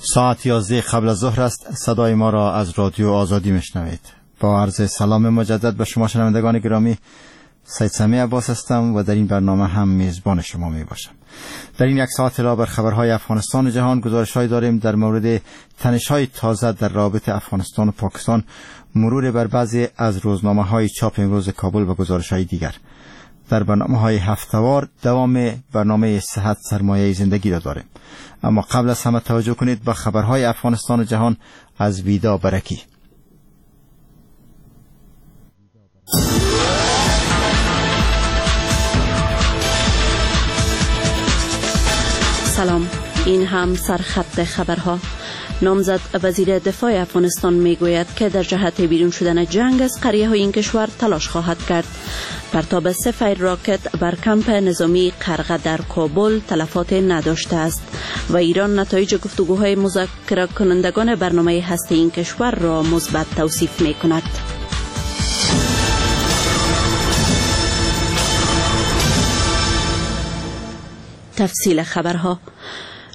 ساعت 11 قبل از ظهر است. صدای ما را از رادیو آزادی میشنوید. با عرض سلام مجدد به شما شنوندگان گرامی، سید سمیع عباس هستم و در این برنامه هم میزبان شما می باشم. در این یک ساعت علاوه بر خبرهای افغانستان و جهان، گزارش‌های داریم در مورد تنش‌های تازه در رابطه افغانستان و پاکستان، مرور بر بعضی از روزنامه‌های چاپ امروز کابل و گزارش‌های دیگر. در برنامه‌های هفته‌وار دوام برنامه صحت سرمایه زندگی را داریم. اما قبل از همه توجه کنید به خبرهای افغانستان و جهان از ویدا برکی. سلام، این هم سرخط خبرها. نامزد وزیر دفاع افغانستان میگوید که در جهت بیرون شدن جنگ از قریه های این کشور تلاش خواهد کرد. پرتاب 3 فیر راکت بر کمپ نظامی قرغه در کابل تلفات نداشته است و ایران نتایج گفتگوهای مذاکره کنندگان برنامه هسته این کشور را مثبت توصیف می کند. تفصیل خبرها.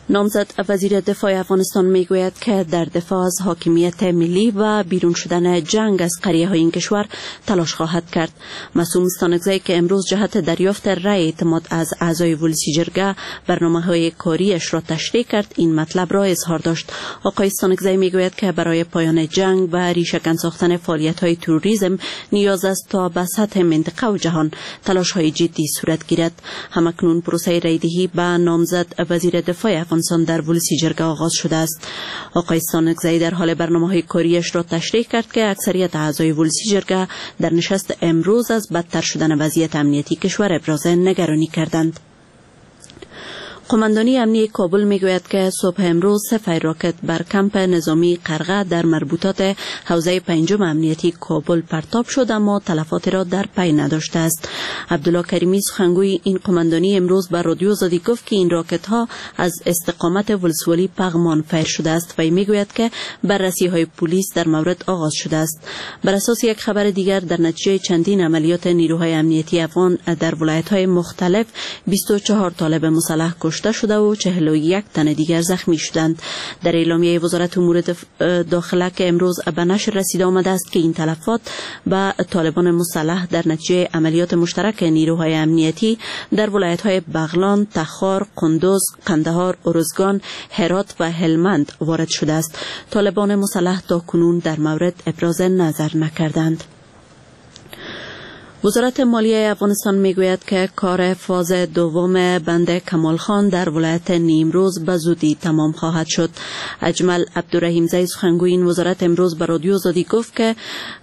نامزد وزیر دفاع افغانستان میگوید که در دفاع از حاکمیت ملی و بیرون شدن جنگ از قریه های این کشور تلاش خواهد کرد. معصوم ستانکزی که امروز جهت دریافت رأی اعتماد از اعضای ولسی جرگه برنامه های کاریش را تشریح کرد، این مطلب را اظهار داشت. آقای ستانکزی میگوید که برای پایان جنگ و ریشه‌کن ساختن فعالیت های تروریسم نیاز است تا به سطح منطقه و جهان تلاش های جدی صورت گیرد. همکنون پروسه رأی‌دهی به نامزد وزیر دفاع افغانستان در ولسی جرگه آغاز شده است. آقای ستانکزی در حال برنامه‌های کاریش را تشریح کرد که اکثریت اعضای ولسی جرگه در نشست امروز از بدتر شدن وضعیت امنیتی کشور ابراز نگرانی کردند. قماندانی امنی کابل میگوید که صبح امروز 3 فیر راکت بر کمپ نظامی قرغه در مربوطات حوزه پنجم امنیتی کابل پرتاب شد، اما تلفات را در پی نداشته است. عبدالله کریمی سخنگوی این قماندانی امروز بر رادیو آزادی گفت که این راکت ها از استقامت ولسوالی پغمان فیر شده است و میگوید که بررسی های پلیس در مورد آغاز شده است. بر اساس یک خبر دیگر، در نتیجه چندین عملیات نیروهای امنیتی افغان در ولایت های مختلف 24 طالب مسلح کشته شده و 41 تن دیگر زخمی شدند. در اعلامیه وزارت امور داخله که امروز به نشر رسیده آمده است که این تلفات به طالبان مسلح در نتیجه عملیات مشترک نیروهای امنیتی در ولایت‌های بغلان، تخار، قندوز، قندهار، ارزگان، هرات و هلمند وارد شده است. طالبان مسلح تا کنون در مورد ابراز نظر نکردند. وزارت مالیه افغانستان میگوید که کار فاز دوم بند کمال خان در ولایت نیمروز به زودی تمام خواهد شد. اجمل عبدالرحیم زی سخنگوی این وزارت امروز به رادیو آزادی گفت که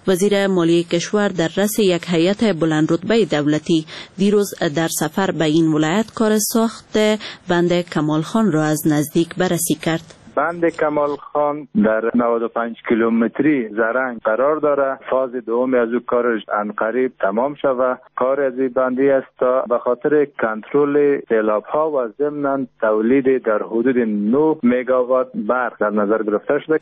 وزیر مالیه کشور در رأس یک هیئت بلند رتبه دولتی دیروز در سفر به این ولایت کار ساخت بند کمال خان را از نزدیک بررسی کرد. بند کمال خان در 95 کیلومتری زرنگ قرار داره. فاز دوم از او کارش عنقریب تمام شوه. کار از این بندی است تا به خاطر کنترل سیلاب ها و ضمن تولید در حدود 9 مگاوات برق در نظر گرفته شده.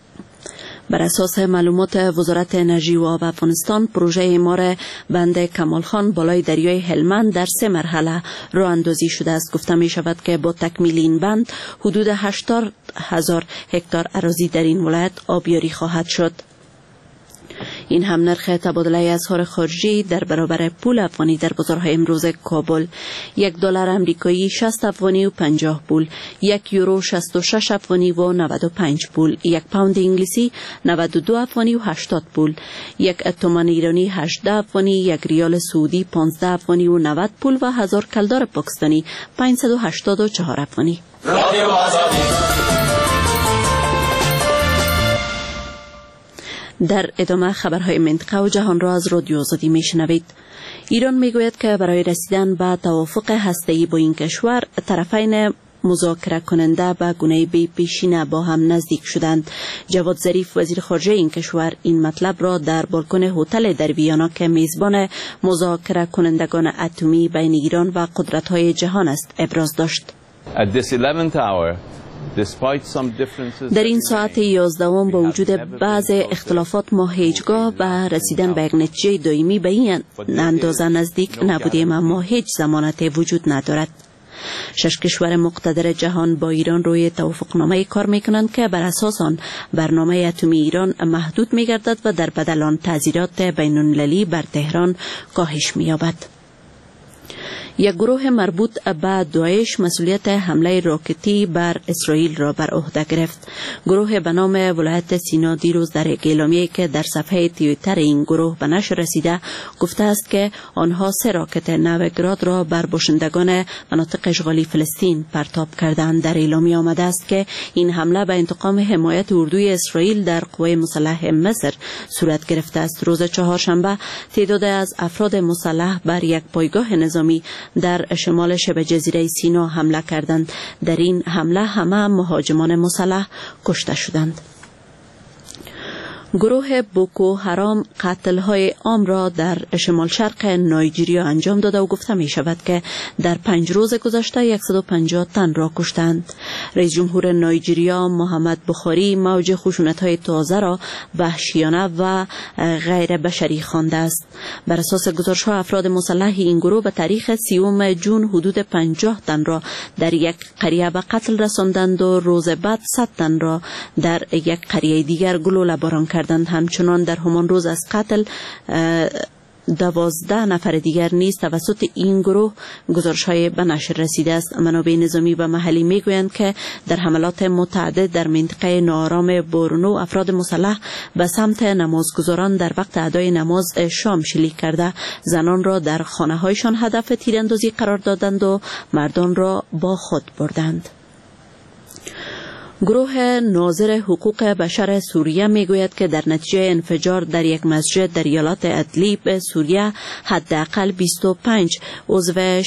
بر اساس معلومات وزارت انرژی و آب افغانستان، پروژه اعمار بند کمال خان بالای دریای هلمند در 3 مرحله راه اندازی شده است. گفته می شود که با تکمیل این بند حدود 80,000 هکتار اراضی در این ولایت آبیاری خواهد شد. این هم نرخ تبادله اسعار خارجی در برابر پول افغانی در بازارهای امروز کابل: $1 آمریکایی 60 افغانی و 50 پول، 1 یورو 66 افغانی و 95 پول، 1 پوند انگلیسی 92 افغانی و 80 پول، 1 تومان ایرانی 18 افغانی، 1 ریال سعودی 15 افغانی و 90 پول و 1000 کلدار پاکستانی 584 افغانی. در ادامه خبرهای منطقه و جهان را از رادیو آزادی میشنوید. ایران میگوید که برای رسیدن به توافق هسته‌ای با این کشور طرفین مذاکره کننده به گونه بی پیشینه با هم نزدیک شدند. جواد ظریف وزیر خارجه این کشور این مطلب را در بالکن هتل در ویانا که میزبان مذاکره کنندگان اتمی بین ایران و قدرت‌های جهان است ابراز داشت. در این ساعت 11 با وجود بعض اختلافات ما هیچگاه به رسیدن به یک نتیجه دائمی به این اندازه نزدیک نبودیم، اما هیچ ضمانت وجود ندارد. 6 کشور مقتدر جهان با ایران روی توافقنامه کار میکنند که بر اساس آن برنامه اتمی ایران محدود میگردد و در بدل آن تعزیرات بین المللی بر تهران کاهش مییابد. یک گروه مربوط به داعش مسئولیت حمله راکتی بر اسرائیل را بر عهده گرفت. گروه به نام ولایت سینا دیروز در یک اعلامیه که در صفحه توییتر این گروه به نشر رسیده گفته است که آنها 3 راکت نوع گراد را بر باشندگان مناطق اشغالی فلسطین پرتاب کردند. در اعلامیه آمده است که این حمله به انتقام حمایت اردوی اسرائیل در قوای مسلح مصر صورت گرفته است. روز چهارشنبه تعداد از افراد مسلح بر یک پایگاه نظامی در شمال شبه جزیره سینا حمله کردند. در این حمله همه مهاجمان مسلح کشته شدند. گروه بوکو حرام قتل‌های عام را در شمال شرق نایجیریا انجام داده و گفته می شود که در 5 روز گذشته 150 تن را کشتند. رئیس جمهور نایجیریا محمد بخاری موج خشونت‌های تازه را وحشیانه و غیر بشری خوانده است. بر اساس گزارش‌ها افراد مسلح این گروه به تاریخ 30 جون حدود 50 تن را در یک قریه به قتل رساندند و روز بعد 100 تن را در یک قریه دیگر گلوله باران کردند. همچنان در همان روز از قتل 12 نفر دیگر نیز توسط این گروه گزارش‌های به نشر رسیده است. منابع نظامی و محلی میگویند که در حملات متعدد در منطقه ناآرام بورنو افراد مسلح به سمت نمازگزاران در وقت ادای نماز شام شلیک کرده، زنان را در خانه‌هایشان هدف تیراندازی قرار دادند و مردان را با خود بردند. گروه ناظر حقوق بشر سوریه میگوید که در نتیجه انفجار در یک مسجد در ایالات ادلیب سوریه حداقل 25 عضو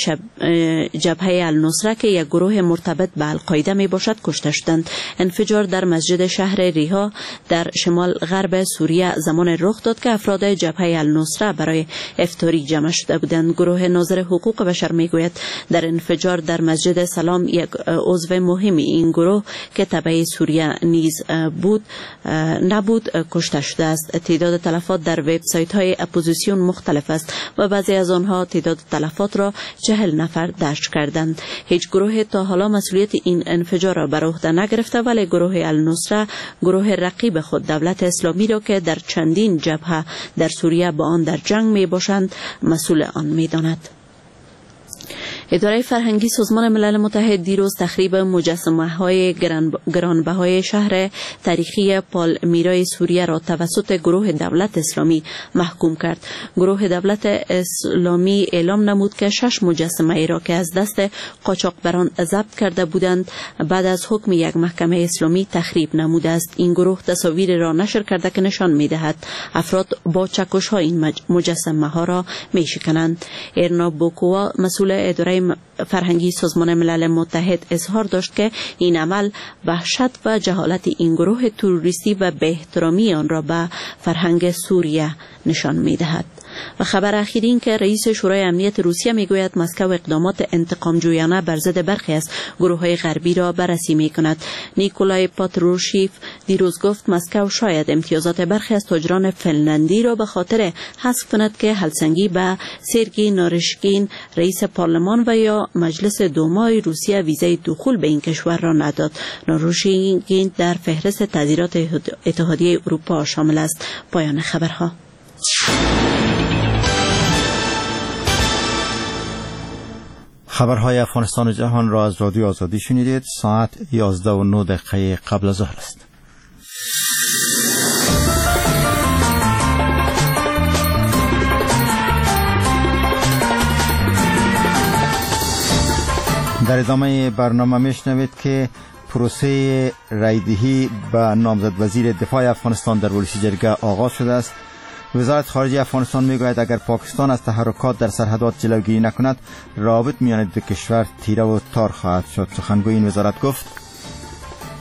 جبهه النصره که یک گروه مرتبط به القاعده می باشد کشته شدند. انفجار در مسجد شهر ریها در شمال غرب سوریه زمان رخ داد که افراد جبهه النصره برای افطاری جمع شده بودند. گروه ناظر حقوق بشر میگوید در انفجار در مسجد سلام یک عضو مهم این گروه که سوریه نیز بود نبود کشته شده است. تعداد تلفات در وبسایت های اپوزیسیون مختلف است و بعضی از آنها تعداد تلفات را 40 نفر درج کردند. هیچ گروه تا حالا مسئولیت این انفجار را بر عهده نگرفته، ولی گروه النصره گروه رقیب خود دولت اسلامی را که در چندین جبهه در سوریه با آن در جنگ می باشند مسئول آن می داند. اداره فرهنگی سازمان ملل متحد دیروز تخریب مجسمه‌های گرانبهای شهر تاریخی پالمیرای سوریه را توسط گروه دولت اسلامی محکوم کرد. گروه دولت اسلامی اعلام نمود که 6 مجسمه را که از دست قاچاقبران ضبط کرده بودند بعد از حکم یک محکمه اسلامی تخریب نموده است. این گروه تصاویر را نشر کرده که نشان می‌دهد افراد با چکش‌ها این مجسمه‌ها را می‌شکنند. ارنا بوکوا مسئول اداره فرهنگی سازمان ملل متحد اظهار داشت که این عمل وحشت و جهالت این گروه تروریستی و به احترامی آن را به فرهنگ سوریه نشان می‌دهد. و خبر اخیر این که رئیس شورای امنیت روسیه میگوید مسکو اقدامات انتقام جویانه بر ضد برخی از گروه‌های غربی را بررسی می‌کند. نیکولای پاتروشیف دیروز گفت مسکو شاید امتیازات برخی از تاجران فنلندی را به خاطر حذف کند که هلسنگی به سرگی نارشکین رئیس پارلمان و یا مجلس دومای روسیه ویزای دخول به این کشور را نداد. نارشکین در فهرست تعزیرات اتحادیه اروپا شامل است. پایان خبرها. خبرهای افغانستان و جهان را از رادیو آزادی شنیدید. ساعت 11:09 قبل از ظهر است. در ادامه برنامه میشنوید که پروسه رایدهی به نامزد وزیر دفاع افغانستان در ولسی جرگه آغاز شده است. وزارت خارجه افغانستان میگوید اگر پاکستان از تحرکات در سرحدات جلوگیری نکند رابط میان دو کشور تیره و تار خواهد شد. سخنگوی این وزارت گفت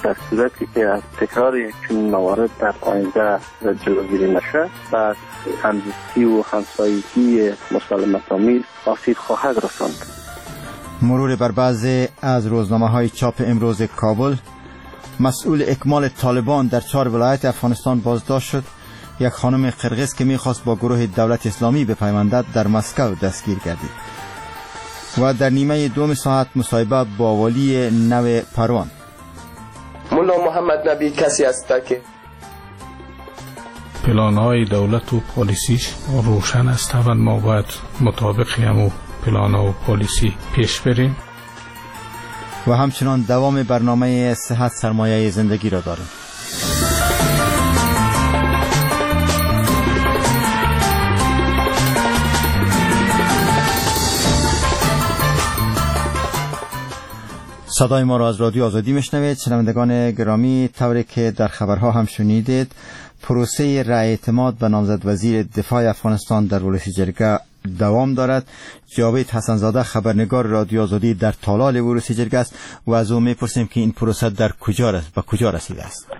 در صورتی که از تکرار چنین موارد در آینده جلوگیری نشد و همزیستی و همسایگی مسالمت‌آمیز آسیب خواهد رساند. مرور بر بعضی از روزنامه‌های چاپ امروز کابل. مسئول اکمال طالبان در 4 ولایت افغانستان بازداشت شد. یک خانم قرقیز که میخواست با گروه دولت اسلامی بپیوندد در مسکو دستگیر گردید. و در نیمه دوم ساعت مصاحبه با والی نو پروان. ملا محمد نبی کسی است که پلان‌های دولت و پالیسیش روشن است و ما باید مطابق همو پلان و پالیسی پیش بریم. و همچنان دوام برنامه صحت سرمایه زندگی را داریم. صدای ما را از رادیو آزادی میشنوید. شنوندگان گرامی، طوری که در خبرها هم شنیدید، پروسه رأی اعتماد به نامزد وزیر دفاع افغانستان در ولسی جرگه دوام دارد. جاوید حسنزاده خبرنگار رادیو آزادی در تالار ولسی جرگه است و از او میپرسیم که این پروسه در کجا به کجا رسیده است.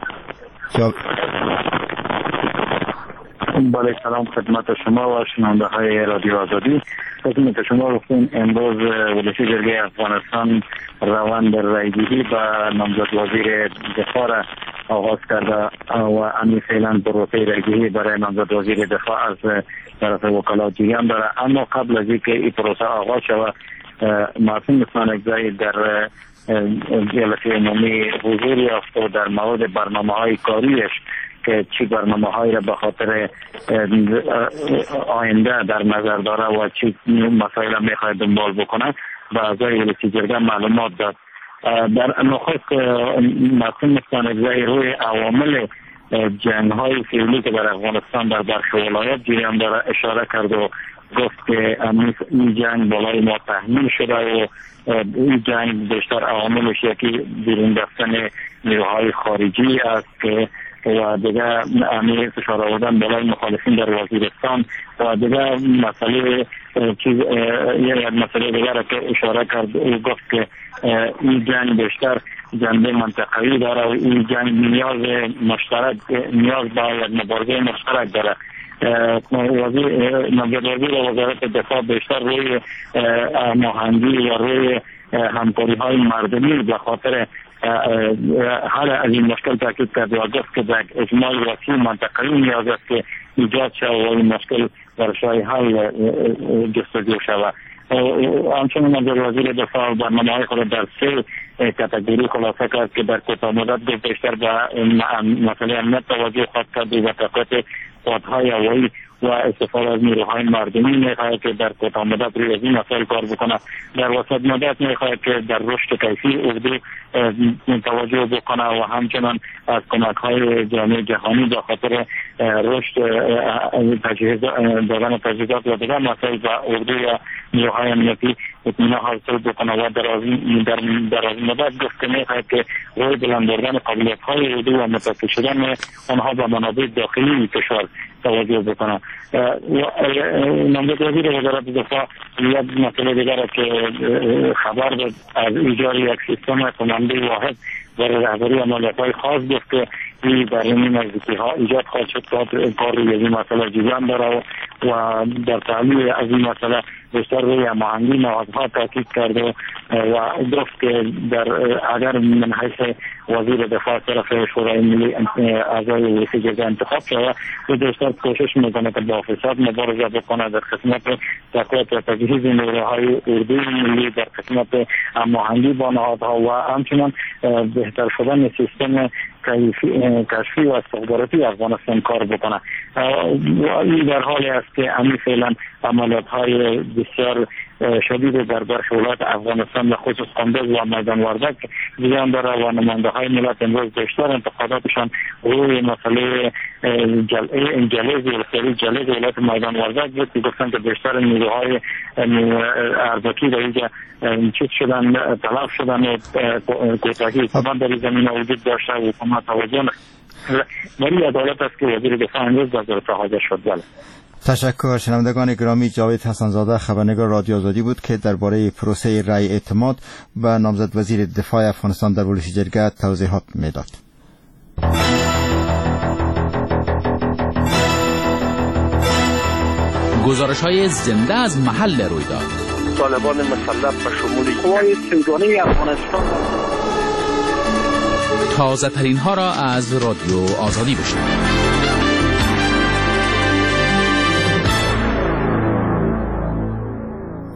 بله، سلام خدمت شما و شنونده های رادیو آزادی. خدمت شما گفتیم امروز ولسی جرگه افغانستان روند رأی‌دهی به نامزد وزیر دفاع را آغاز کرده و همین فعلا پروسه رأی‌دهی برای نامزد وزیر دفاع از طرف وکلا جریان داره. اما قبل از اینکه این پروسه آغاز شود، معصوم ستانکزی در جلسه عمومی حضور یافت و در مورد برنامه‌های کاریش که چی برنامه هایی را به خاطر آینده در نظر داره و چی مسائل میخواد دنبال بکنه به اعضای ولسی جرگه معلومات داد. در نخست معصوم ستانکزی روی عوامل جنگ های فعلی که در افغانستان در برخی ولایات جریان داره اشاره کرد و گفت که این جنگ بالای ما تحمیل شده و این جنگ بیشتر عواملش یکی بیرون رفتن نیروهای خارجی است که و دیگه امیر فشار آوردن بالای مخالفین در وزیرستان و دیگه مسئله چیز یک مسئله دیگر که اشاره کرد و گفت که این جنگ بیشتر جنبه منطقه‌ای داره و این جنگ نیاز مشترک، نیاز به یک مبارزه مشترک داره. وزیر وزارت دفاع بیشتر روی هماهنگی و روی همکاری های مردمی به خاطر حل از این مشکل تاکید کرد و گفت که در اجماع وسیع منطقه‌ای نیاز است که ایجاد شود و این مشکل برای حل جستجو شود. همچنین وزیر دفاع برنامه‌های خود در سه کاتگوری خلاصه کرد که در کوتاه مدت گفت بیشتر به مسئله امنیت توجه خواهد کرد و تقویت قوت‌های هوایی و استفاده از نیروهای مردمی میخواهد که در کوتاه مدت روی از این مسائل کار بکنه. در وسط مدت میخواهد که در رشد کیفی اردو توجه بکنه و همچنان از کمک های جامعه جهانی به خاطر رشد دادن تجهیزات و دیگر مسائل به اردو و نیروهای امنیتی اطمینان حاصل بکنه و در از مدت گفت که میخواهد که روی بلند بردن قابلیت های اردو و متصل شدن آنها به منابع داخلی کشور توجه بکنه. نامزد وزیر وزارت دفاع یک مسئله دیگر که خبر داد از ایجاد یک سیستم قمانده واحد برای رهبری عملیات‌های خاص گفت که این در این نزدیکی‌ها ایجاد خواهد شد تا کار روی این مسئله جریان داره و در تحلیل از این مسئله بیشتر روی هماهنگی نهادها تاکید کرده و گفت که در اگر من حیث وزیر دفاع طرف شورای ملی اعضای ولسی جرگه انتخاب شود، او بیشتر کوشش میکنه که با فساد مبارزه بکنه در قسمت تقویت و تجهیز نیروهای اردوی ملی، در قسمت هماهنگی با نهادها و همچنان بهتر شدن سیستم کشفی و استخباراتی افغانستان کار بکنه. این در حالی است که همین فعلا عملیات های بسیار شدید در برخی ولایات افغانستان به خصوص قندوز و میدان وردک جریان داره و نماینده های ملت امروز بیشتر انتقاداتشان روی مسئله جلیز ولسوالی جلیز ولایت میدان وردک بود که گفتند که بیشتر نیروهای اربکی در اینجا چیز شدن، تلف شدن و کوتاهی حکومت در زمینه وجود داشته و حکومت توجه ولی عدالت است که وزیر دفاع امروز در جلسه حاضر شد. بله، تشکر. شنوندگان گرامی، جاوید حسنزاده خبرنگار رادیو آزادی بود که درباره پروسه رأی اعتماد به نامزد وزیر دفاع افغانستان در ولسی جرگه توضیحات میداد. گزارش‌های زنده از محل رویداد. طالبان مسلح به شمول قوای سیگانه افغانستان. تازه ترین ها را از رادیو آزادی بشنوید.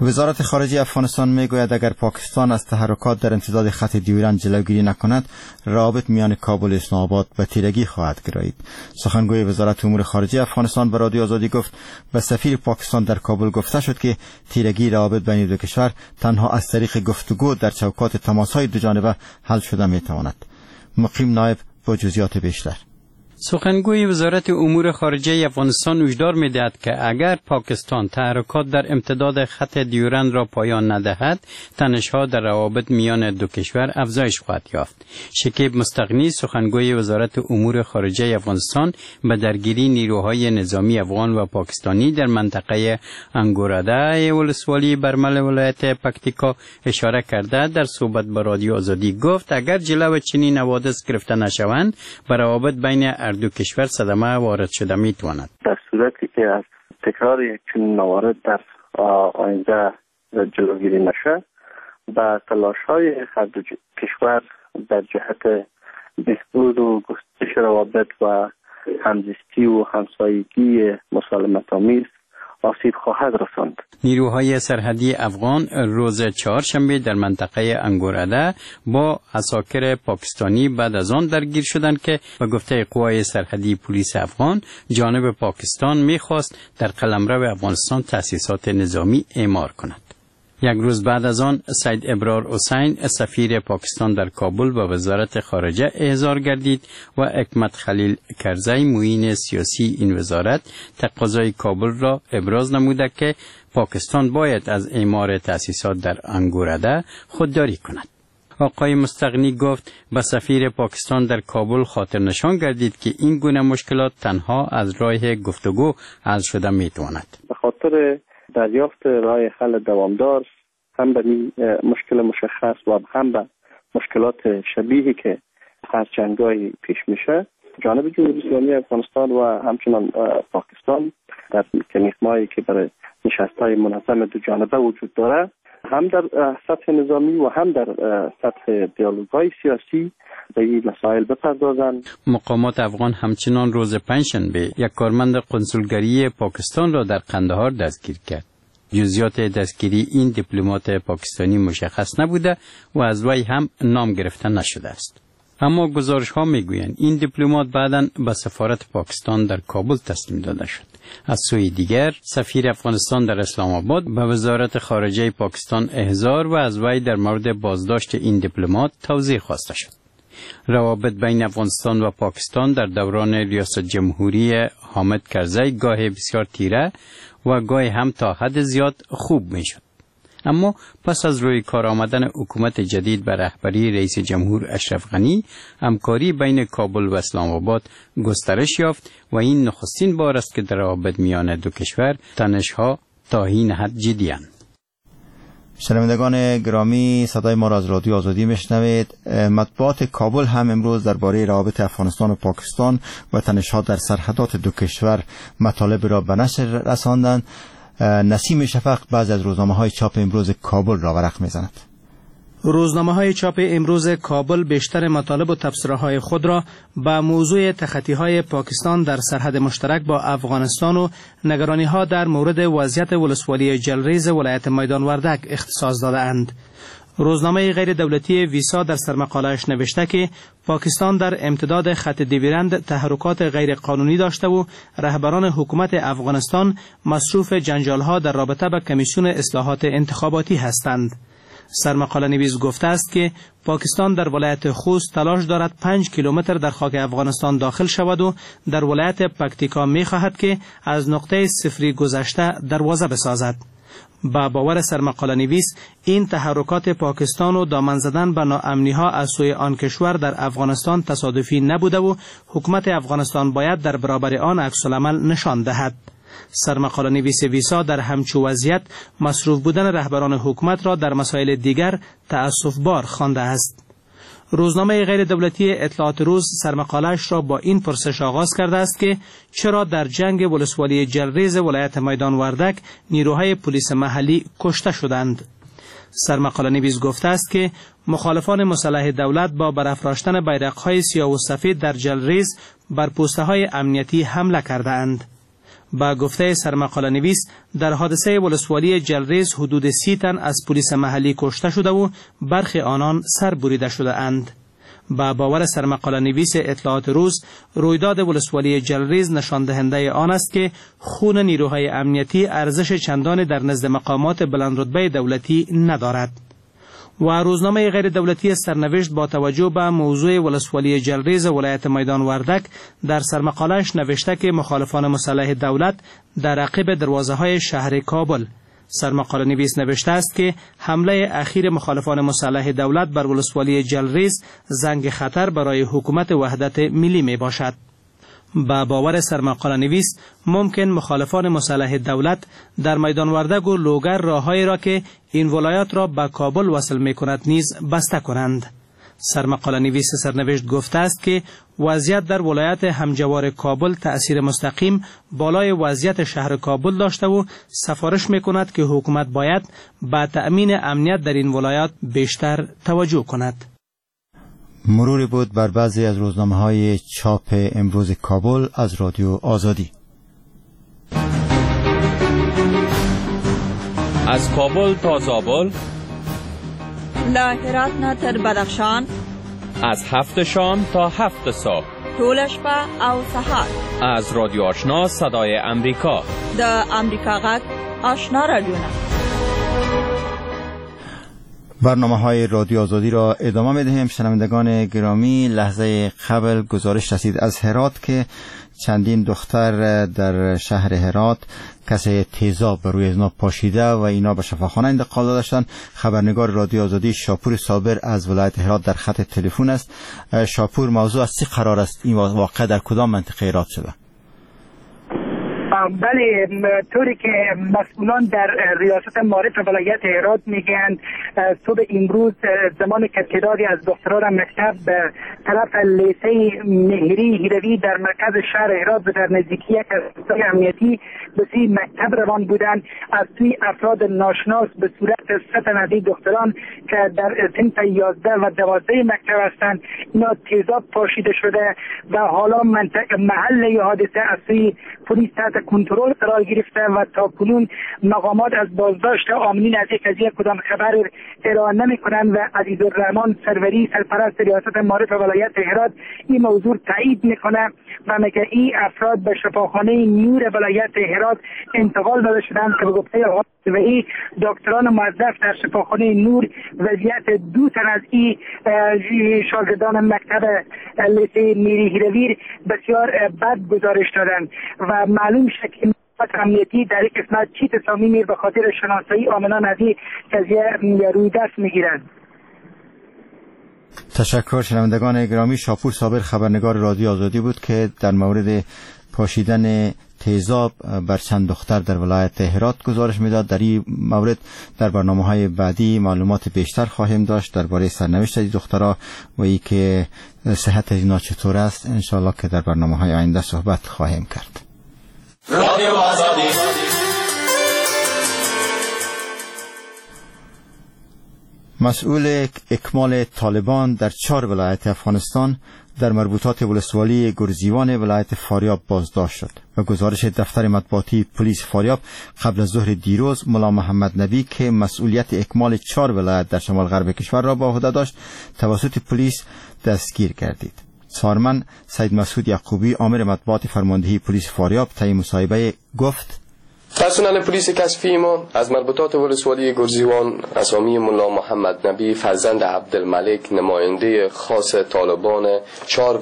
وزارت خارجه افغانستان میگوید اگر پاکستان از تحرکات در امتداد خط دیورند جلوگیری نکند، روابط میان کابل و اسلام آباد به تیرگی خواهد گرایید. سخنگوی وزارت امور خارجه افغانستان به رادیو آزادی گفت به سفیر پاکستان در کابل گفته شد که تیرگی روابط بین دو کشور تنها از طریق گفتگو در چوکات تماس‌های دو جانبه حل شده میتواند. مقیم نایب با جزئیات بیشتر. سخنگوی وزارت امور خارجه افغانستان هشدار می‌دهد که اگر پاکستان تحرکات در امتداد خط دیورند را پایان ندهد، تنش‌ها در روابط میان دو کشور افزایش خواهد یافت. شکیب مستغنی، سخنگوی وزارت امور خارجه افغانستان، به درگیری نیروهای نظامی افغان و پاکستانی در منطقه انگوراده ولسوالی برمل ولایت پکتیکا اشاره کرده در صحبت با رادیو آزادی گفت اگر جلو چنین حوادث گرفته نشوند، به روابط بین هر دو کشور صدمه وارد شده میتواند. در صورتی که از تکرار یک چنین موارد در آینده جلوگیری نشه، به تلاش‌های هر دو کشور در جهت بهبود و گسترش روابط و همزیستی و همسایگی مسالمت‌آمیز آسیب خواهد رساند. نیروهای سرحدی افغان روز چهارشنبه در منطقه انگوراده با عساکر پاکستانی بعد از آن درگیر شدند که به گفته قوای سرحدی پلیس افغان جانب پاکستان میخواست در قلمرو افغانستان تأسیسات نظامی اعمار کند. یک روز بعد از آن سید ابرار حسین، سفیر پاکستان در کابل، به وزارت خارجه احضار گردید و حکمت خلیل کرزی، معین سیاسی این وزارت، تقاضای کابل را ابراز نموده که پاکستان باید از اعمار تأسیسات در انگوراده خودداری کند. آقای مستغنی گفت به سفیر پاکستان در کابل خاطر نشان گردید که این گونه مشکلات تنها از راه گفتگو حل شده میتواند. به خاطر دریافت راه حل دوامدار هم به مشکل مشخص و هم به مشکلات شبیهی که هر چندگاهی پیش میشه، جانب جمهوری اسلامی افغانستان و همچنان پاکستان در مکانیزم‌هایی که برای نشست‌های منظم دو جانبه وجود داره، هم در سطح نظامی و هم در سطح دیالوگ‌های سیاسی به این مسائل بپردازند. مقامات افغان همچنان روز پنجشنبه یک کارمند قنسولگری پاکستان را در قندهار دستگیر کرد. جزئیات دستگیری این دیپلمات پاکستانی مشخص نبوده و از وی هم نام گرفته نشده است. اما گزارش ها میگویند این دیپلمات بعداً به سفارت پاکستان در کابل تسلیم داده شد. از سوی دیگر سفیر افغانستان در اسلام آباد به وزارت خارجه پاکستان احضار و از وی در مورد بازداشت این دیپلمات توضیح خواسته شد. روابط بین افغانستان و پاکستان در دوران ریاست جمهوری حامد کرزی گاه بسیار تیره و گاه هم تا حد زیاد خوب میشد. اما پس از روی کار آمدن حکومت جدید به رهبری رئیس جمهور اشرف غنی، همکاری بین کابل و اسلام آباد گسترش یافت و این نخستین بار است که در روابط میان دو کشور تنش‌ها تا این حد جدی‌اند. شنوندگان گرامی، صدای ما را از رادیو آزادی میشنوید. مطبوعات کابل هم امروز درباره روابط افغانستان و پاکستان و تنش‌ها در سرحدات دو کشور مطالب را به نشر رساندند. نسیم شفق بعضی از روزنامه‌های چاپ امروز کابل را ورق می‌زند. روزنامه‌های چاپ امروز کابل بیشتر مطالب و تبصره‌های خود را به موضوع تخطی‌های پاکستان در سرحد مشترک با افغانستان و نگرانی‌ها در مورد وضعیت ولسوالی جلریز ولایت میدان وردک اختصاص داده‌اند. روزنامه غیر دولتی ویسا در سرمقاله‌اش نوشته که پاکستان در امتداد خط دیورند تحرکات غیر قانونی داشته و رهبران حکومت افغانستان مصروف جنجال‌ها در رابطه با کمیسیون اصلاحات انتخاباتی هستند. سرمقاله نویس گفته است که پاکستان در ولایت خوست تلاش دارد 5 کیلومتر در خاک افغانستان داخل شود و در ولایت پکتیکا می‌خواهد که از نقطه صفری گذشته دروازه بسازد. با باور سرمقاله نویس این تحرکات پاکستان و دامن زدن به ناامنی‌ها از سوی آن کشور در افغانستان تصادفی نبوده و حکومت افغانستان باید در برابر آن عکس العمل نشان دهد. سرمقاله نویس ویسا در همچو وضعیت مصروف بودن رهبران حکومت را در مسائل دیگر تأسف بار خوانده است. روزنامه غیر دولتی اطلاعات روز سرمقاله‌اش را با این پرسش آغاز کرده است که چرا در جنگ ولسوالی جلریز ولایت میدان وردک نیروهای پلیس محلی کشته شدند. سرمقاله نویس گفته است که مخالفان مسلح دولت با برافراشتن بیرق‌های سیاه و سفید در جلریز بر پوسته‌های امنیتی حمله کردند. با گفته سرمقاله نویس در حادثه ولسوالی جلریز حدود 30 تن از پلیس محلی کشته شده و برخی آنان سر بریده شده اند. با باور سرمقاله نویس اطلاعات روز، رویداد ولسوالی جلریز نشان دهنده آن است که خون نیروهای امنیتی ارزش چندان در نزد مقامات بلند رتبه دولتی ندارد. و روزنامه غیر دولتی سرنوشت با توجه به موضوع ولسوالی جلریز ولایت میدان وردک در سرمقاله‌اش نوشته که مخالفان مسلح دولت در عقب دروازه های شهر کابل. سرمقاله نویس نوشته است که حمله اخیر مخالفان مسلح دولت بر ولسوالی جلریز زنگ خطر برای حکومت وحدت ملی می باشد. با باور سرمقاله نویس ممکن مخالفان مسلح دولت در میدان وردک و لوگر راههایی را که این ولایات را به کابل وصل می کند نیز بسته کنند. سرمقاله نویس سرنوشت گفته است که وضعیت در ولایت همجوار کابل تأثیر مستقیم بالای وضعیت شهر کابل داشته و سفارش می کند که حکومت باید به تأمین امنیت در این ولایات بیشتر توجه کند. مروری بود بر بعضی از روزنامه‌های چاپ امروز کابل از رادیو آزادی. از کابل تا زابل، له هرات نه تر بدخشان، از 7 شام تا 7 صبح، ټوله شپه او سهار، از رادیو آشنا صدای امریکا، د امریکا غږ آشنا رادیو. برنامه های رادیو آزادی را ادامه می دهیم. شنوندگان گرامی، لحظه قبل گزارش رسید از هرات که چندین دختر در شهر هرات کسی تیزاب بر روی ازنا پاشیده و اینا به شفاخانه انتقال داده شدند. خبرنگار رادیو آزادی شاپور صابر از ولایت هرات در خط تلفن است. شاپور، موضوع از چه قرار است؟ این واقعه در کدام منطقه هرات شده؟ بله، طوری که مسئولان در ریاست معارف ولایت هرات میگن صبح امروز زمان که تعدادی از دختران مکتب به طرف لیسه مهری هیروی در مرکز شهر هرات و در نزدیکی یک از امنیتی به سوی مکتب روان بودند، از سوی افراد ناشناس به صورت 3 تن از دختران که در صنف 11 و 12 مکتب هستند اینا تیزاب پاشیده شده و حالا منطقه محل حادثه از سوی پلیس تحت کنترل قرار گرفته و تا کنون مقامات از بازداشت عاملین از یک قضیه کدام خبر ارائه نمی‌کنند و عزیزالرحمن سروری سرپرست ریاست معارف ولایت هرات این موضوع تایید میکنه و میگه این افراد به شفاخانه نور ولایت هرات انتقال داده شدند که به گفته و این دکتران موظف در شفاخانه نور وضعیت 2 تن از این شاگردان مکتب لیسه میری هیرویر بسیار بد گزارش دادند و معلوم شد که امنیتی در این قسمت چی تصامیمی به خاطر شناسایی عاملان از این قضیه روی دست میگیرند. تشکر شنوندگان گرامی. شاپور صابر خبرنگار رادیو آزادی بود که در مورد پاشیدن تیزاب بر چند دختر در ولایت هرات گزارش میداد. در این مورد در برنامه‌های بعدی معلومات بیشتر خواهیم داشت درباره سرنوشت این دخترها و ای که صحت اینا چطور است. انشاءالله که در برنامه‌های آینده صحبت خواهیم کرد. رادیو آزادی. مسئول اکمال طالبان در 4 ولایت افغانستان در مربوطات ولسوالی گرزیوان ولایت فاریاب بازداشت شد. و گزارش دفتر مطبوعاتی پلیس فاریاب قبل از ظهر دیروز ملا محمد نبی که مسئولیت اکمال 4 ولایت در شمال غرب کشور را به عهده داشت توسط پلیس دستگیر گردید. سارمن سید مسعود یعقوبی آمر مطبوعات فرماندهی پلیس فاریاب طی مصاحبه گفت: پرسنل پلیس کشفی ما از مربوطات ولسوالی گرزیوان اسامی ملا محمد نبی فرزند عبدالملک نماینده خاص طالبان 4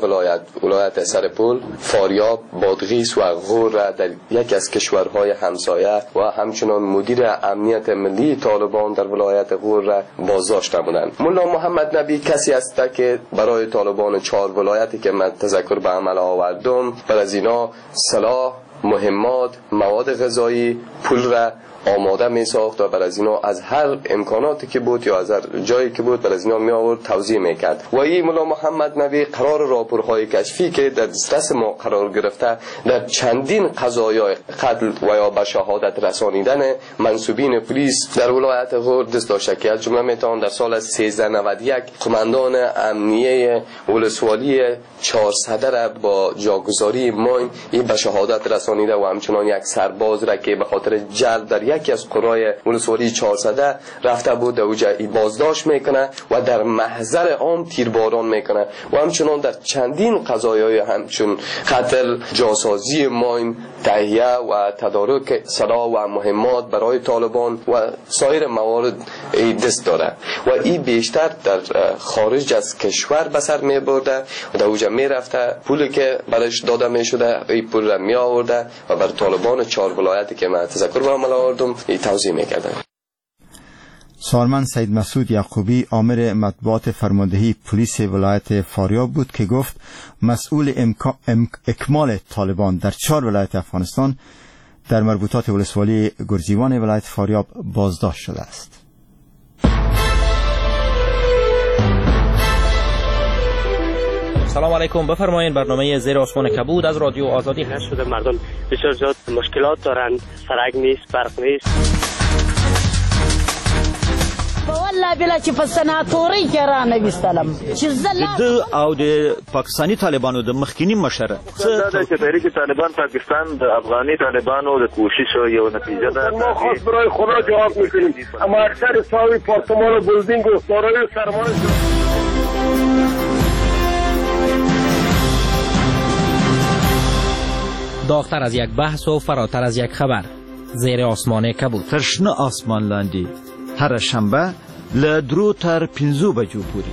ولایت سرپل، فاریاب، بادغیس و غور را در یکی از کشورهای همسایه و همچنان مدیر امنیت ملی طالبان در ولایت غور را بازداشت نمودند. ملا محمد نبی کسی است که برای طالبان 4 ولایتی که من تذکر به عمل آوردم بر از اینا سلاح، مهمات، مواد غذایی، پول را آماده می ساخت و بر از اینا از هر امکاناتی که بود یا از هر جایی که بود بر از اینا می آورد توزیع می کرد. و این ملا محمد نبی قرار راپورهای کشفی که در دسترس ما قرار گرفته در چندین قضایای قتل و یا به شهادت رسانیدن منسوبین پلیس در ولایت غور دست داشته که از جمله میتوان در سال 1391 قماندان امنیه ولسوالی 400 را با جاگذاری ماین به شهادت رسانیده و همچنان یک سرباز را که به خاطر جلب در یکی از قرای ولسوالی 400 رفته بود در اوجه بازداشت میکنه و در محضر عام تیرباران میکنه و همچنان در چندین قضایای همچون قتل، جاسازی ماین، تهیه و تدارک سلاح و مهمات برای طالبان و سایر موارد دست داره و این بیشتر در خارج از کشور به سر می برده و در اوجه می رفته، پولی که برش داده می شده این پول را می آورده و بر طالبان 4 ولایتی که من تذکر به عمل آوردم توزیع می کردن. سالمن سید مسعود یعقوبی آمر مطبوعات فرماندهی پلیس ولایت فاریاب بود که گفت مسئول اکمال طالبان در 4 ولایت افغانستان در مربوطات ولسوالی گرزیوان ولایت فاریاب بازداشت شده است. سلام علیکم، بفرمایید برنامه زیر آسمان کبود از رادیو آزادی. نشده مردم بسیار زیاد مشکلات دارند، سرک نیست، برق نیست. والله بلا چې په سناتوري کې را نه وستلم چې زه د او د پاکستاني طالبانو د مخکینی مشر دا چې تحریک طالبان پاکستان د افغاني طالبانو د کوشش یو نتیجه ده. ما خاص برای خدا جواب میکنیم، اما اکثر ساوی پارتمان و بلدینگ و دارای سرمایه. داغتر از یک بحث و فراتر از یک خبر، زیر آسمان کبود. تر شنه آسمان لاندې هره شنبه له 3 تر 5 بجو پورې.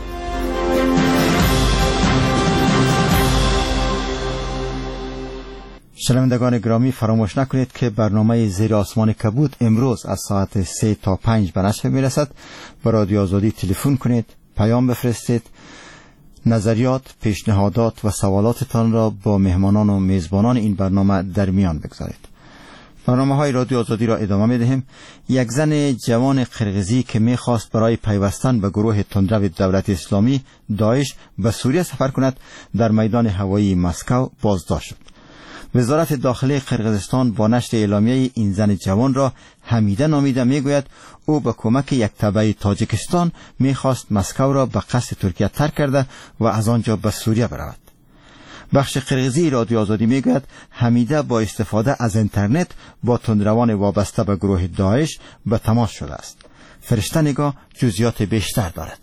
شنوندگان گرامی، فراموش نکنید که برنامه زیر آسمان کبود امروز از ساعت 3 تا 5 به نشر میرسد. به رادیو آزادی تلفن کنید، پیام بفرستید، نظریات، پیشنهادات و سوالاتتان را با مهمانان و میزبانان این برنامه در میان بگذارید. برنامه های رادیو آزادی را ادامه می دهیم. یک زن جوان قرقیزی که می خواست برای پیوستن به گروه تندرو دولت اسلامی داعش به سوریه سفر کند در میدان هوایی مسکو بازداشت شد. وزارت داخله قرقیزستان با نشر اعلامیه این زن جوان را حمیده نامیده می گوید او به کمک یک تبع تاجیکستان می خواست مسکو را به قصد ترکیه ترک کرده و از آنجا به سوریه برود. بخش قرقیزی رادیو آزادی میگوید حمیده با استفاده از اینترنت با تندروان وابسته به گروه داعش به تماس شده است. فرشته نگاه جزئیات بیشتر دارد.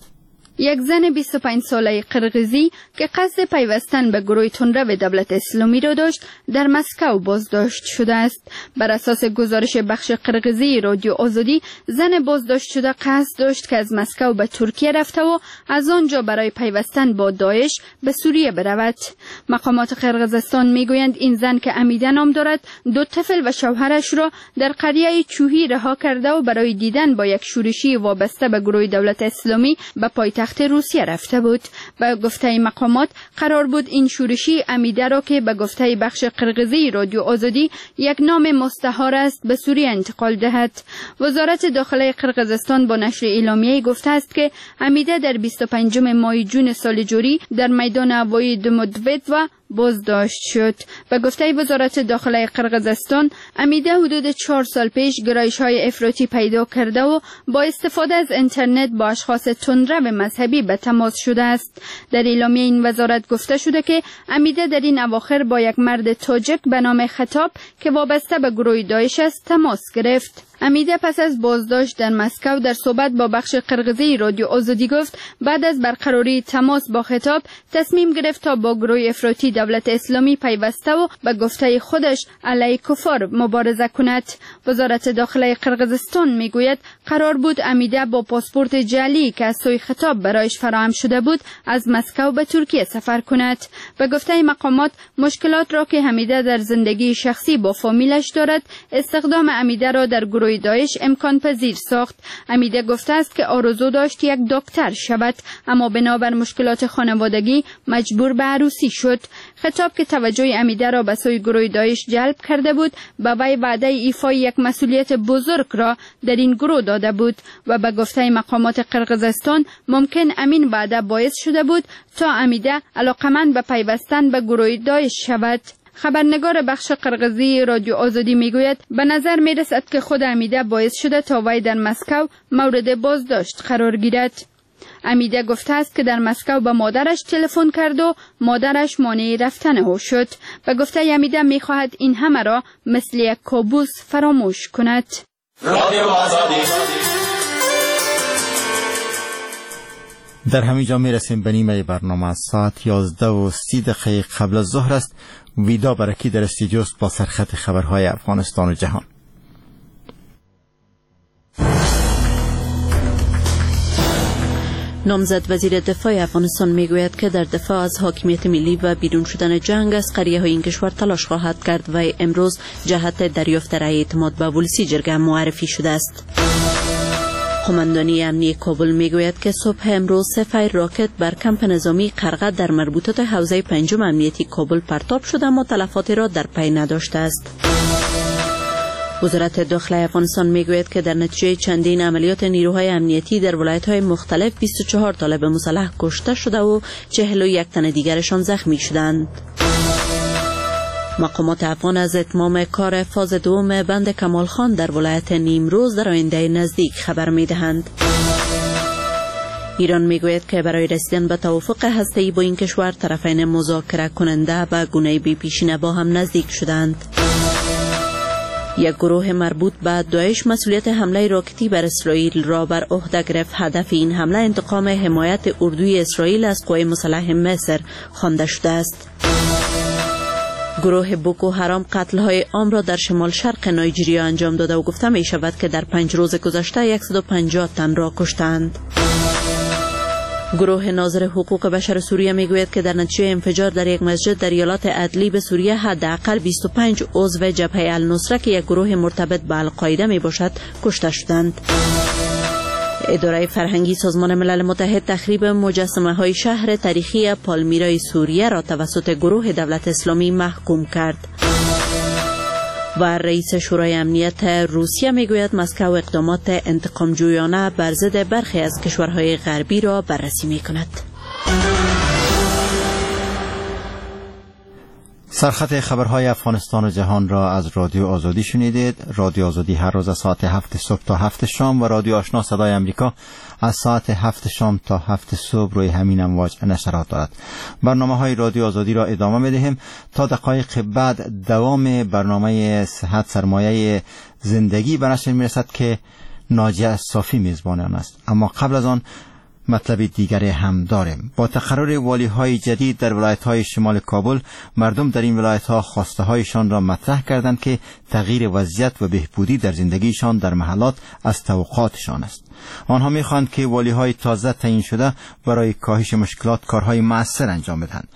یک زن 25 ساله قرقیزی که قصد پیوستن به گروه تندرو دولت اسلامی را داشت در مسکو بازداشت شده است. بر اساس گزارش بخش قرقیزی رادیو آزادی، زن بازداشت شده قصد داشت که از مسکو به ترکیه رفته و از آنجا برای پیوستن با داعش به سوریه برود. مقامات قرقیزستان میگویند این زن که امیده نام دارد، 2 طفل و شوهرش را در قریه چوهی رها کرده و برای دیدن با یک شورشی وابسته به گروه دولت اسلامی به پایتخت روسیه رفته بود. به گفته مقامات قرار بود این شورشی امیده را که به گفته بخش قرقیزی رادیو آزادی یک نام مستعار است به سوریه انتقال دهد. وزارت داخله قرقیزستان با نشر اعلامیه گفته است که امیده در 25 ماه جون سال جاری در میدان هوایی دمودویدوا بازداشت شد. به گفته وزارت داخله قرقیزستان، امیده حدود 4 سال پیش گرایش‌های افراطی پیدا کرده و با استفاده از اینترنت با اشخاص تندرو مذهبی به تماس شده است. در اعلامیه این وزارت گفته شده که امیده در این اواخر با یک مرد تاجک به نام خطاب که وابسته به گروه داعش است تماس گرفت. امیده پس از بازداشت در مسکو در صحبت با بخش قرقیزی رادیو آزادی گفت بعد از برقراری تماس با خطاب تصمیم گرفت تا با گروه افراطی دولت اسلامی پیوسته و به گفته خودش علیه کفار مبارزه کند. وزارت داخله قرقیزستان میگوید قرار بود امیده با پاسپورت جعلی که از سوی خطاب برایش فراهم شده بود از مسکو به ترکیه سفر کند. به گفته مقامات مشکلات را که حمیده در زندگی شخصی با فامیلش دارد، استخدام امیده را در گروه گروه داعش امکان پذیر ساخت. امیده گفته است که آرزو داشت یک دکتر شود، اما بنابر مشکلات خانوادگی مجبور به عروسی شد. خطاب که توجه امیده را به سوی گروه داعش جلب کرده بود، به وی وعده ایفای یک مسئولیت بزرگ را در این گروه داده بود و به گفته مقامات قرقیزستان ممکن امین وعده باعث شده بود تا امیده علاقمند به پیوستن به گروه داعش شود. خبرنگار بخش قرقیزی رادیو آزادی میگوید به نظر میرسد که خود امیده باعث شده تا وی در مسکو مورد بازداشت قرار گیرد. امیده گفته است که در مسکو به مادرش تلفن کرد و مادرش مانع رفتن او شد. به گفته امیده میخواهد این همه را مثل یک کابوس فراموش کند. در همین جا میرسیم به نیمه برنامه. ساعت 11:30 قبل از ظهر است. ویدا برکی در استودیوست با سرخط خبرهای افغانستان و جهان. نامزد وزیر دفاع افغانستان میگوید که در دفاع از حاکمیت ملی و بیرون شدن جنگ از قریه های این کشور تلاش خواهد کرد و امروز جهت دریافت رأی اعتماد به ولسی جرگه معرفی شده است. قماندانی امنی کابل میگوید که صبح امروز 3 فیر راکت بر کمپ نظامی قرغه در مربوطات حوزه پنجم امنیتی کابل پرتاب شده، اما تلفاتی را در پی نداشته است. وزارت داخله افغانستان میگوید که در نتیجه چندین عملیات نیروهای امنیتی در ولایت‌های مختلف 24 طالب مسلح کشته شده و 41 تن دیگرشان زخمی شدند. مقامات افغان از اتمام کار فاز دوم بند کمال خان در ولایت نیمروز در آینده نزدیک خبر می‌دهند. ایران میگوید که برای رسیدن به توافق هسته‌ای با این کشور طرفین مذاکره کننده به گونه بی پیشینه با هم نزدیک شدند. یک گروه مربوط به داعش مسئولیت حمله راکتی بر اسرائیل را بر عهده گرفت. هدف این حمله انتقام حمایت اردوی اسرائیل از قوای مسلح مصر خوانده شده است. گروه بوکو حرام قتل‌های عام را در شمال شرق نایجیریا انجام داده و گفته می شود که در 5 روز گذشته 150 تن را کشتند. گروه ناظر حقوق بشر سوریه میگوید که در نتیجه انفجار در یک مسجد در ایالات ادلیب سوریه حداقل 25 عضو جبهه النصره که یک گروه مرتبط به القاعده می باشد کشته شدند. اداره فرهنگی سازمان ملل متحد تخریب مجسمه های شهر تاریخی پالمیرای سوریه را توسط گروه دولت اسلامی محکوم کرد. و رئیس شورای امنیت روسیه میگوید مسکو اقدامات انتقام جویانه بر ضد برخی از کشورهای غربی را بررسی میکند. سرخط خبرهای افغانستان و جهان را از رادیو آزادی شنیدید. رادیو آزادی هر روز از ساعت 7 صبح تا 7 شام و رادیو آشنا صدای امریکا از ساعت 7 شام تا 7 صبح روی همین امواج نشرات دارد. برنامه های رادیو آزادی را ادامه میدهیم تا دقایق بعد. دوام برنامه صحت سرمایه زندگی به نشر میرسد که ناجیه صافی میزبان آن است. اما قبل از آن مطلب دیگری هم داریم. با تقرر والی های جدید در ولایت های شمال کابل، مردم در این ولایت ها خواسته هایشان را مطرح کردند که تغییر وضعیت و بهبودی در زندگیشان در محلات از توقعاتشان است. آنها میخواهند که والی های تازه تعیین شده برای کاهش مشکلات کارهای مؤثر انجام بدهند.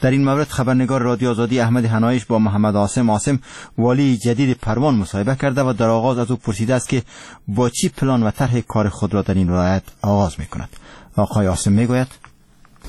در این مورد خبرنگار رادیو آزادی احمد هنایش با محمد عاصم والی جدید پروان مصاحبه کرده و در آغاز از او پرسیده است که با چی پلان و طرح کار خود را در این ولایت آغاز میکند. آقای عاصم میگوید: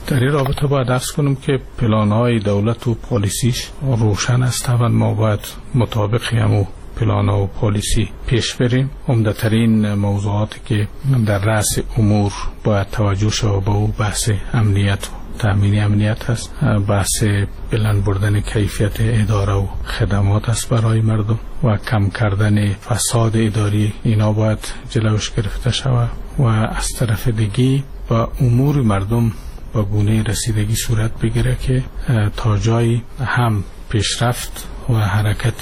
در این رابطه باید عرض کنم که پلان‌های دولت و پالیسیش روشن است و ما باید مطابق همو پلان و پالیسی پیش بریم. عمده‌ترین موضوعاتی که در رأس امور باید توجه شود به او بحث امنیت و تامین امنیت است، بحث بلند بردن کیفیت اداره و خدمات است برای مردم و کم کردن فساد اداری، اینا باید جلوش گرفته شود و از طرف دیگه با امور مردم با گونه رسیدگی صورت بگیره که تا جایی هم پیشرفت و حرکت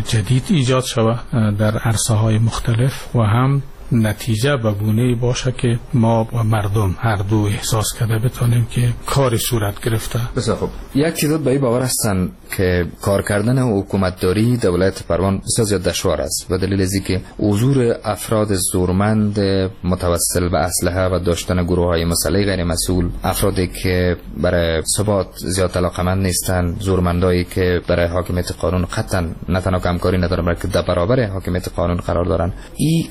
جدید ایجاد شود در عرصه های مختلف و هم نتیجه به گونه باشه که ما و مردم هر دو احساس کرده بتانیم که کاری صورت گرفته. بسیار خوب. یک تعداد به این باور هستن که کار کردن و حکومتداری دولت پروان بسیار زیاد دشوار است و دلیل از اینکه حضور افراد زورمند متوسل به اسلحه و داشتن گروه‌های مسلح غیر مسئول، افرادی که برای ثبات زیاد علاقمند نیستند، زورمندایی که برای حاکمیت قانون قطعا نه تنها همکاری ندارن بلکه در برابر حاکمیت قانون قرار دارن، این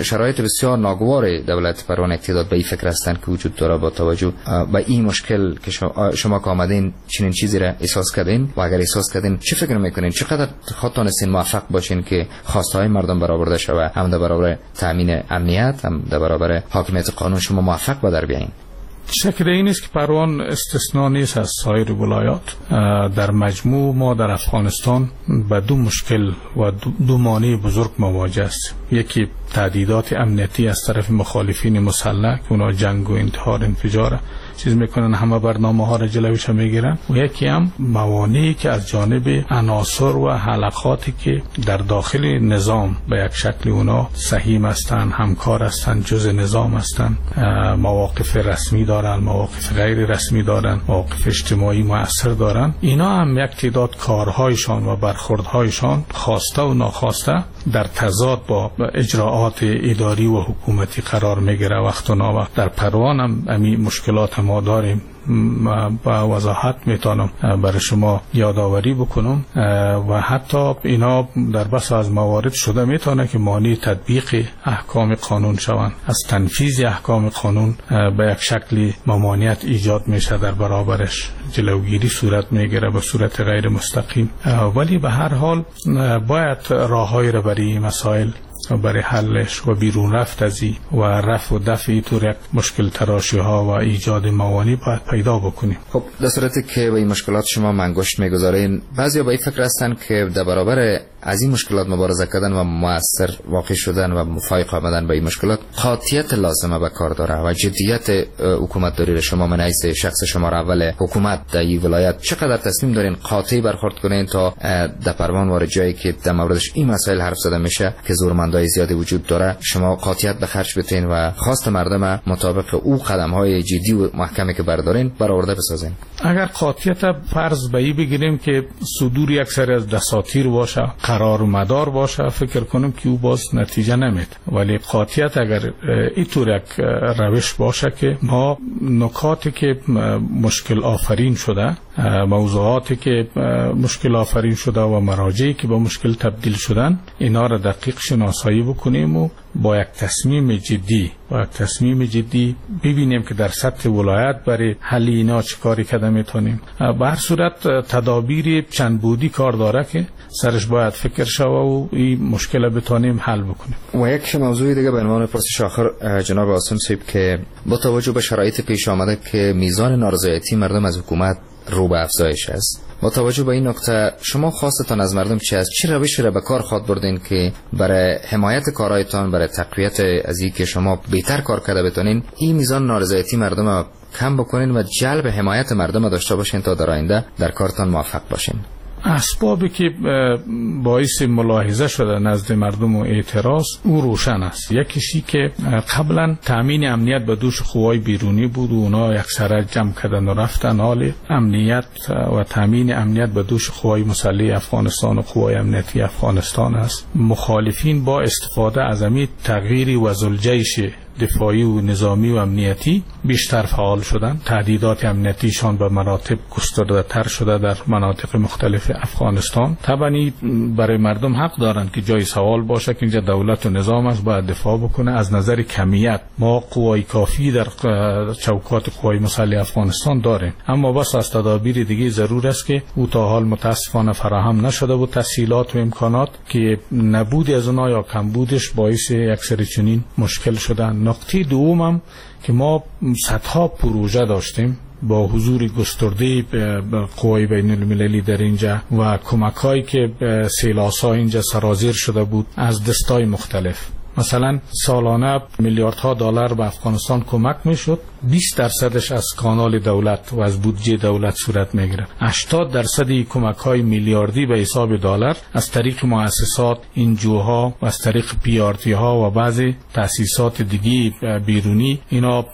شرایط بسیار ناگوار دولت پروان اقتدار به این فکر هستند که وجود داره. با توجه به این مشکل که شما که آمدین چنین چیزی را احساس کردین و اگر احساس کردین چه فکر میکنین، چقدر خودتان هستین موفق باشین که خواستهای مردم برآورده شود، هم در برابر تامین امنیت هم در برابر حاکمیت قانون شما موفق به در بیاین؟ شک این نیست که پروان استثنا نیست از سایر ولایات. در مجموع ما در افغانستان به دو مشکل و دو مانع بزرگ مواجه است. یکی تهدیدات امنیتی از طرف مخالفین مسلح که اونا جنگ و انتحار انفجار چیز میکنن، همه برنامه ها را جلوش میگیرن، و یکی هم موانعی که از جانب عناصر و حلقاتی که در داخل نظام به یک شکل اونا سهیم هستند، همکار هستند، جزء نظام هستند، مواقف رسمی دارن، مواقف غیر رسمی دارن، مواقف اجتماعی مؤثر دارن، اینا هم یک تعداد کارهایشان و برخوردهایشان خواسته و ناخواسته در تضاد با اجراعات اداری و حکومتی قرار میگیره وقت و ناوقت. در پروان هم همین مشکلات ما داریم. با وضاحت میتونم برای شما یادآوری بکنم و حتی اینا در بس از موارد شده میتونه که مانع تطبیق احکام قانون شوند، از تنفیذ احکام قانون به یک شکلی ممانعت ایجاد میشه، در برابرش جلوگیری صورت میگیره به صورت غیر مستقیم. ولی به هر حال باید راههایی را برای مسائل برای حلش و بیرون رفت از این و رفع و دفع اینطور یک مشکل تراشی ها و ایجاد موانع باید پیدا بکنیم. خب در صورتی که به این مشکلات شما منگشت میگذارین، بعضیا به این فکر هستن که در برابر از این مشکلات مبارزه کردن و مؤثر واقع شدن و مفایق آمدن به این مشکلات قاطعیت لازمه به کار داره و جدیت حکومت داری. شما من حیث شخص شما اول حکومت در این ولایت چقدر تصمیم دارین قاطع برخورد کنین تا در پروان وارد جایی که در موردش این مسائل حرف زده میشه که زورمندای زیادی وجود داره، شما قاطعیت به خرج بتین و خواست مردم مطابق او قدم های جدی و محکمی که بردارین برآورده بسازین؟ اگر قاطعیت فرض به این بگیریم که صدور یک سری از دساتیر باشه، قرار و مدار باشه، فکر کنم که او باز نتیجه نمیده. ولی قاطعیت اگر اینطور یک روش باشه که ما نکاتی که مشکل آفرین شده، موضوعاتی که مشکل آفرین شده و مراجعی که با مشکل تبدیل شدن، اینا را دقیق شناسایی بکنیم و با یک تصمیم جدی ببینیم که در سطح ولایت برای حل اینا چه کاری کرده میتونیم. به هر صورت تدابیر چند بودی کار داره که سرش باید فکر شوه و این مشکل بتونیم حل بکنیم. و یک موضوع دیگه به عنوان پرسش آخر جناب عاصم صاحب، که با توجه به شرایط پیش آمده که میزان نارضایتی مردم از حکومت رو به افزایش است، با توجه به این نکته شما خواستتان از مردم چه است؟ چه روشی را به کار خواهد بردین که برای حمایت کارهایتان، برای تقویت از اینکه شما بهتر کار کرده بتونین، این میزان نارضایتی مردم کم بکنین و جلب حمایت مردم داشته باشین تا در آینده در کارتان موفق باشین؟ اسبابی که باعث ملاحظه شده نزد مردم و اعتراض او روشن است. یکیشی که قبلا تامین امنیت به دوش قوای بیرونی بود و اونا یک سره جمع کردن و رفتن. حال امنیت و تامین امنیت به دوش قوای مسلح افغانستان و قوای امنیتی افغانستان است. مخالفین با استفاده از امید تغییر وزلجیش دفاعی و نظامی و امنیتی بیشتر فعال شدند. تهدیدات امنیتیشان به مراتب گسترده تر شده در مناطق مختلف افغانستان. طبعا برای مردم حق دارند که جای سوال باشه که اینجا دولت و نظام است، باید دفاع بکنه. از نظر کمیت ما قوای کافی در چوکات قوای مسلح افغانستان داریم، اما بس از تدابیر دیگه ضرور است که او تا حال متاسفانه فراهم نشده و تسهیلات و امکانات که نبود از اونها یا کمبودش باعث یک سری چنین مشکل شدن. نقطه دومم که ما صدها پروژه داشتیم با حضور گسترده قوای بین المللی در اینجا و کمک‌هایی که سیلاس‌ها اینجا سرازیر شده بود از دستای مختلف. مثلا سالانه میلیاردها دلار به افغانستان کمک میشد، 20% از کانال دولت و از بودجه دولت صورت میگیره. 80% کمک های میلیاردی به حساب دلار از طریق مؤسسات NGO ها و از طریق PRT ها و بعضی تاسیسات دیگه بیرونی اینا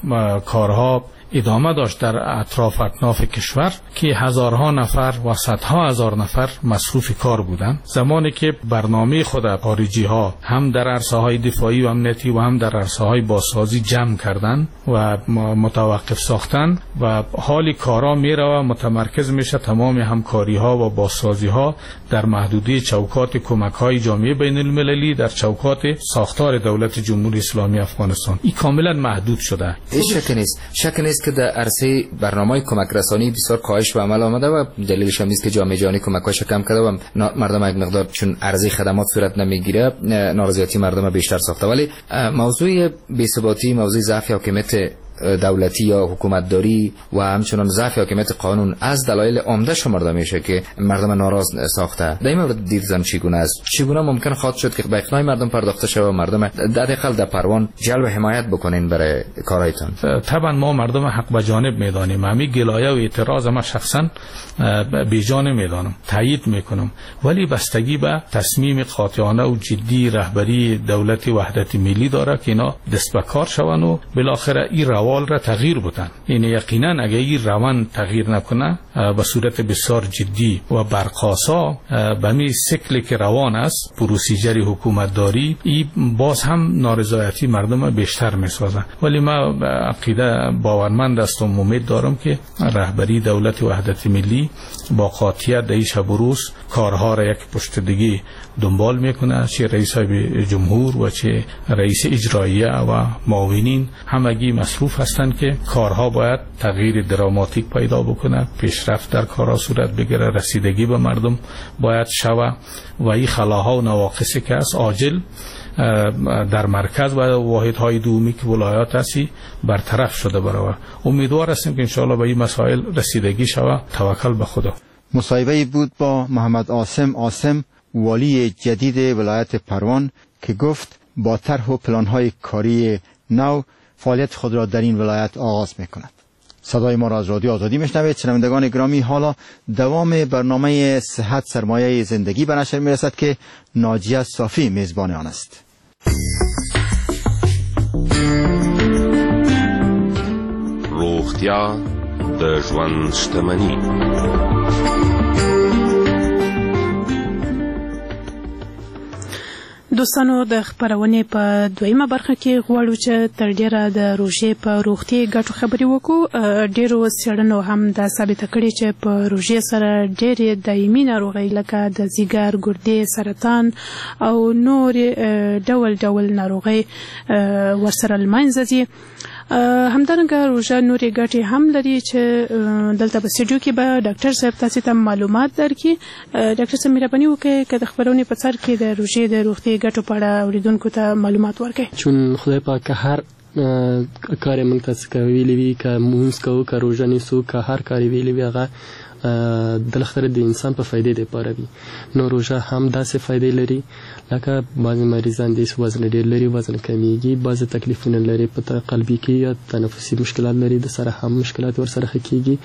کارها ادامه داشت در اطراف اکناف کشور که هزارها نفر و صدها هزار نفر مصروف کار بودند. زمانی که برنامه خود خارجی ها هم در عرصه های دفاعی و امنیتی و هم در عرصه های بازسازی جمع کردن و متوقف ساختن و حال کارا میره و متمرکز میشه تمام همکاری ها و بازسازی ها در محدوده چوکات کمک های جامعه بین المللی در چوکات ساختار دولت جمهوری اسلامی افغانستان، این کاملا محدود شده. شک نیست که در عرصه برنامه کمک رسانی بسیار کاهش به عمل آمده و دلیلش هم نیست که جامعه جهانی کمک‌هاش کم کرده و مردم یک مقدار چون عرضه خدمات صورت نمیگیره نارضایتی مردم بیشتر ساخته. ولی موضوع بی‌ثباتی، موضوع ضعف حاکمیت دولتی یا حکومتداری و همچنان ضعف حاکمیت قانون از دلایل عمده شمرده میشه که مردم ناراض ساخته. در این مورد دیدتان چگونه است؟ چگونه ممکن خواهد شد که به اقناع مردم پرداخته شود و مردم حداقل در پروان جلب حمایت بکنین برای کارایتان؟ طبعا ما مردم حق به جانب میدانیم، همین گلایه و اعتراض ما شخصا بیجا نمیدانم، تایید میکنم، ولی بستگی به تصمیم قاطعانه و جدی رهبری دولت وحدت ملی داره که اینا دست به کار شوند و بالاخره این روال را تغییر بدن. این یقینا اگه این روند تغییر نکنه به صورت بسیار جدی و برقاسا به می شکلی که روان است پروسیجر حکومتداری، این باز هم نارضایتی مردم بیشتر میسازه. ولی ما عقیده باورمند هستم، امید دارم که رهبری دولت وحدت ملی با قاطعیت در این شب و روز کارها را یک پشت دیگه دنبال میکنه، چه رئیس جمهور و چه رئیس اجراییه و معاونین همگی مصروف هستند که کارها باید تغییر دراماتیک پیدا بکنه، پیشرفت در کارها صورت بگیره، رسیدگی به مردم باید شوه و این خلاها و نواقصی که است عاجل در مرکز و واحدهای دومی که ولایات هستی برطرف شده برای. امیدوار هستیم که انشاءالله به این مسائل رسیدگی شوه. توکل به خدا. مصاحبه بود با محمد عاصم عاصم، والی جدید ولایت پروان، که گفت با طرح و پلان‌های کاری نو فعالیت خود را در این ولایت آغاز می‌کند. صدای ما را از رادیو آزادی میشنوید. شنوندگان گرامی، حالا دوام برنامه صحت سرمایه زندگی به نشر میرسد که ناجیه صافی میزبان آن است. روغتیا د ژوند شتمني. دوستانو د خبرونې په دویمه برخه کې غواړو چې تر ډیره د روژې په روغتي ګټو خبرې وکړو. ډیرو څېړنو هم دا ثابته کړې چې په روژې سره ډېرې دایمي ناروغۍ لکه د ځیګر، ګردې، سرطان او نورې ډول ډول ناروغۍ ورسره له منځه ځي. همدارنګه روژه نورې ګټې هم لري چې دلته په سټډیو کې به ډاکټر صاحب تاسو ته معلومات درکړي. ډاکټر صاحب مهرباني وکړئ که د خپرونې په سر کې د روژې د روغتیايي ګټو په اړه اورېدونکو ته معلومات ورکړئ. چون خدای پاک هر کار موږ ته څه ویلي وي، که مونځ کوو، که روژه نیسو، که هر کار یې ویلي وي، هغه بالاخره د انسان په فایدې دپاره وي. نو روژه هم داسې فایدې لري، لکه بعضې مریضان دي چې وزن ډېر لري، وزن کمیږي، بعضې تکلیفونه لري په قلبي کې یا تنفسي مشکلات لري، د سره هم مشکلات ورسره ښه کیږي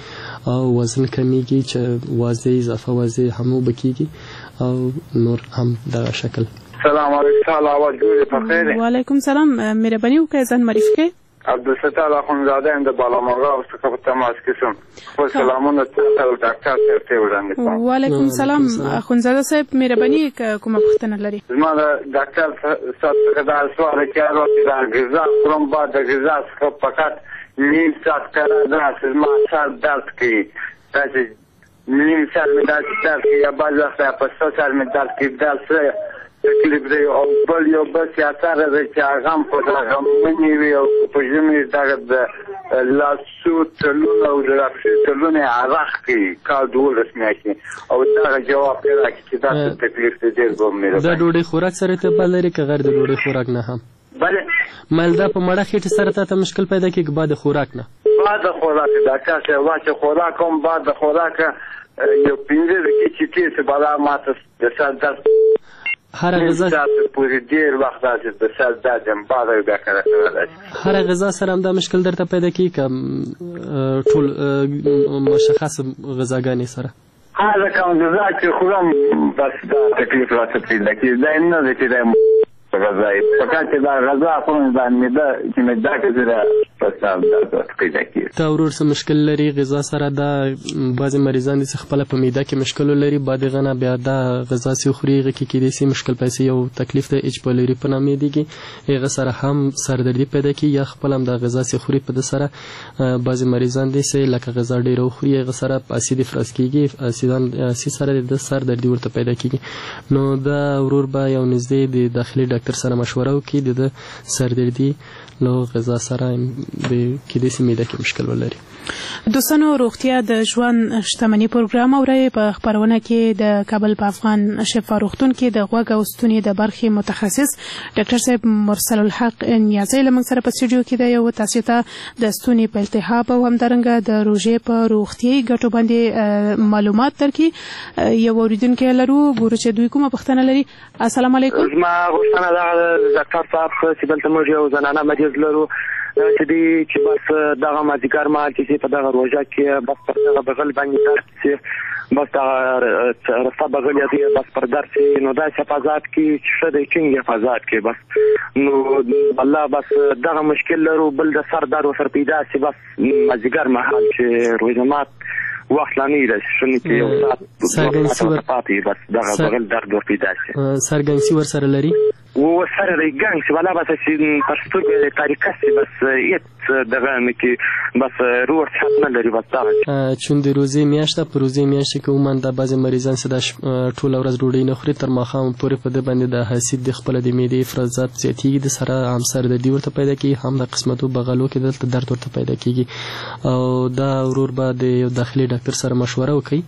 او وزن کمیږي چې واضح اضافه واضح هم اوبه کیږي او نور هم دغه شکل. سلام علیکم. آواز جوړ په خیر. وعلیکم سلام. مهرباني وکړئ ځان معرفي کړئ. عبدالستار اخوندزاده یم د بالامرغاب څخه په تماس کې شوم. خپل سلامونه تاته او ډاکټر صاحب ته وړاندې کوم. وعلیکم سلام اخوندزاده صاحب، مهرباني که کومه پوښتنه لري. زما د ډاکټر صاحب څخه دا سوال چې هر وخت دا غذا خورم، بعد د غذا څخه فقط نیم ساعت قرار داسې زما سر درد کوي، داسې نیم ساعت مې داسې درد کوي، یا بعض وخت په سر مې درد کوي، دا څه تکلیف دی. او بل یو بس اثر دی چې هغه هم په دغه مني وي او په ژمي دغه د لاسو تلونه او د پښې تلونه یې عرق کوي کال 12 میاشتې، او دغه جواب یې راکړي چې دا څه تکلیف دی. ډېر به مهرباني. دا ډوډۍ خوراک سره ارتباط لري که غیر د ډوډۍ خوراک نه هم؟ بله. مال دا په مړه خېټې سره تا ته مشکل پیدا کېږي که بعد خوراک نه؟ بعد خوراک ډاکټر صاحب، چې خوراک هم بعد خوراک یو 5 دقیقې چې تېر شي بلا ماته د سر درد هره غذا پورې ډېر وخت داسې د سر درد یم، بعد بیا کله کله داسې. هره غذا سره هم دا مشکل درته پیدا کېږي که ټول مشخص غذاګانې سره؟ هره کوم غذا چې خورم بس دا تکلیف راته پیدا کېږي. دا نه ده چې دا غذا یې، فقط چې دا غذا خورم دا معده چې مې دا که په سر درد ورته پیدا کېږي. تا ورور څه مشکل لري غذا سره دا بعضې مریضان دي چې خپله په معده کې مشکل ولري بعد هغه نه بیا دا غذا چې وخوري هغه کې کېدای شي مشکل پیسې یو تکلیف دی اچ پایلوري په نامه یادېږي هغه سره هم سردردي پیدا کېږي یا خپله هم دا غذا چې خوري په ده سره بعضې مریضان دي چې لکه غذا ډېره وخوري هغه سره اسید افراز کېږي اسید سره د سر دردي ورته پیدا کېږي نو دا ورور به یو نږدې د داخلي ډاکتر سره مشوره وکړي د ده سردردي له غذا سره د کېدای شي معده کې مشکل ولري. دوستانو روغتیا د ژوند شتمني پروګرام اورئ. په خپرونه کې د کابل په افغان شفا روغتون کې د غوږ او ستوني د برخې متخصص ډاکټر صاحب مرسل الحق نیازی له موږ سره په سټډیو کې دی او تاسو ته د ستوني په التهاب او همدارنګه د روژې په روغتیايي ګټو باندې معلومات درکړي. یو اورېدونکی لرو، ګورو چې دوی کومه پوښتنه لري. السلام علیکم. زما غوښتنه دغه ده ډاکټر صاحب چې دلته موږ یو زنانه مریض لرو چې دی چې بس دغه مازدیګر مهال چې په دغه روژه کې بس پر دغه بغل باندې درد شي، بس دغه رسته بغل یې دی بس پر درد شي، نو داسې حفاظت کې چې ښه دی ټینګ حفاظت کې بس نو الله بس دغه مشکل لرو. بل د سر درد ورسره پیدا شي بس مازدیګر مهال چې روژه مات وخت لا نه وي داسې شونی چې یو ساعت دوه ساعته ورته پاتې وي بس دغه بغل درد ور پیدا شي. سرګنګسي ورسره لري؟ ورسره دی ګنګ شي ولا بس چې پر سترګو یې طریقه شي بس هېڅ دغه نه کې بس روغ صحت نه لري بس دغه. چون د روزې میاشت ده، په روزې میاشت کې عموماً دا بعضې مریضان چې دا ټوله ورځ ډوډۍ نه خوري تر ماښام پورې په ده باندې د حسید د خپله د معدې افرازات زیاتېږي، د سره هم سردردي ورته پیدا کېږي، هم د قسمتو بغلو کې دلته درد ورته پیدا کېږي او دا ورور به د یو داخلي ډاکټر سره مشوره وکړي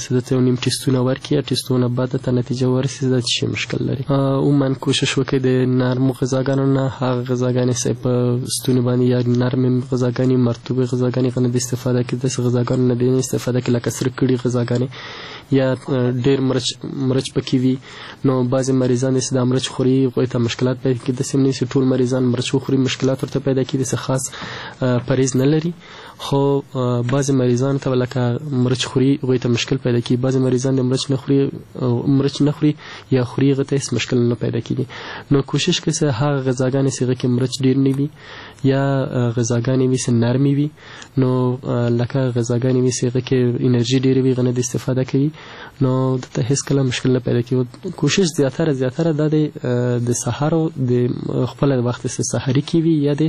چې دته یو نیم ټیستونه ورکړي، ټیستونه بعد ته نتیجه ورسي دا څه مشکل لري. عموماً کوشش وکړي د نرمو غذاګانو نه هغه غذاګانې چې په ستوني باندې یا نرمې غذاګانې مرطوبې غذاګانې غنه د استفاده کړي، داسې غذاګانو نه د استفاده کړي لکه سره کړي غذاګانې یا ډېر مرچ پکې وي. نو بعضې مریضان چې دا مرچ خوري هغوی ته مشکلات پیدا کېږي، داسې هم نه چې ټول مریضان مرچ وخوري مشکلات ورته پیدا کېږي، داسې خاص پرهیز نه لري. خو بعضې مریضانو ته لکه مرچ خوري هغوی ته مشکل پیدا کېږي، بعضې مریضان د مرچ نه خوري یا خوري هغه ته هېڅ مشکل نه پیدا کېږي. نو کوشش کوي چې هغه غذاګانې چې هغه کې مرچ ډېر نه وي یا غذاګانې وي چې نرمې وي، نو لکه غذاګانې وي چې هغه کې انرژي ډېره وي هغه نه د استفاده کوي، نو دته هېڅ کله مشکل نه پیدا کېږي. کوشش زیاتره دا دی د سهار د خپل وخت چې سحري کې وي یا د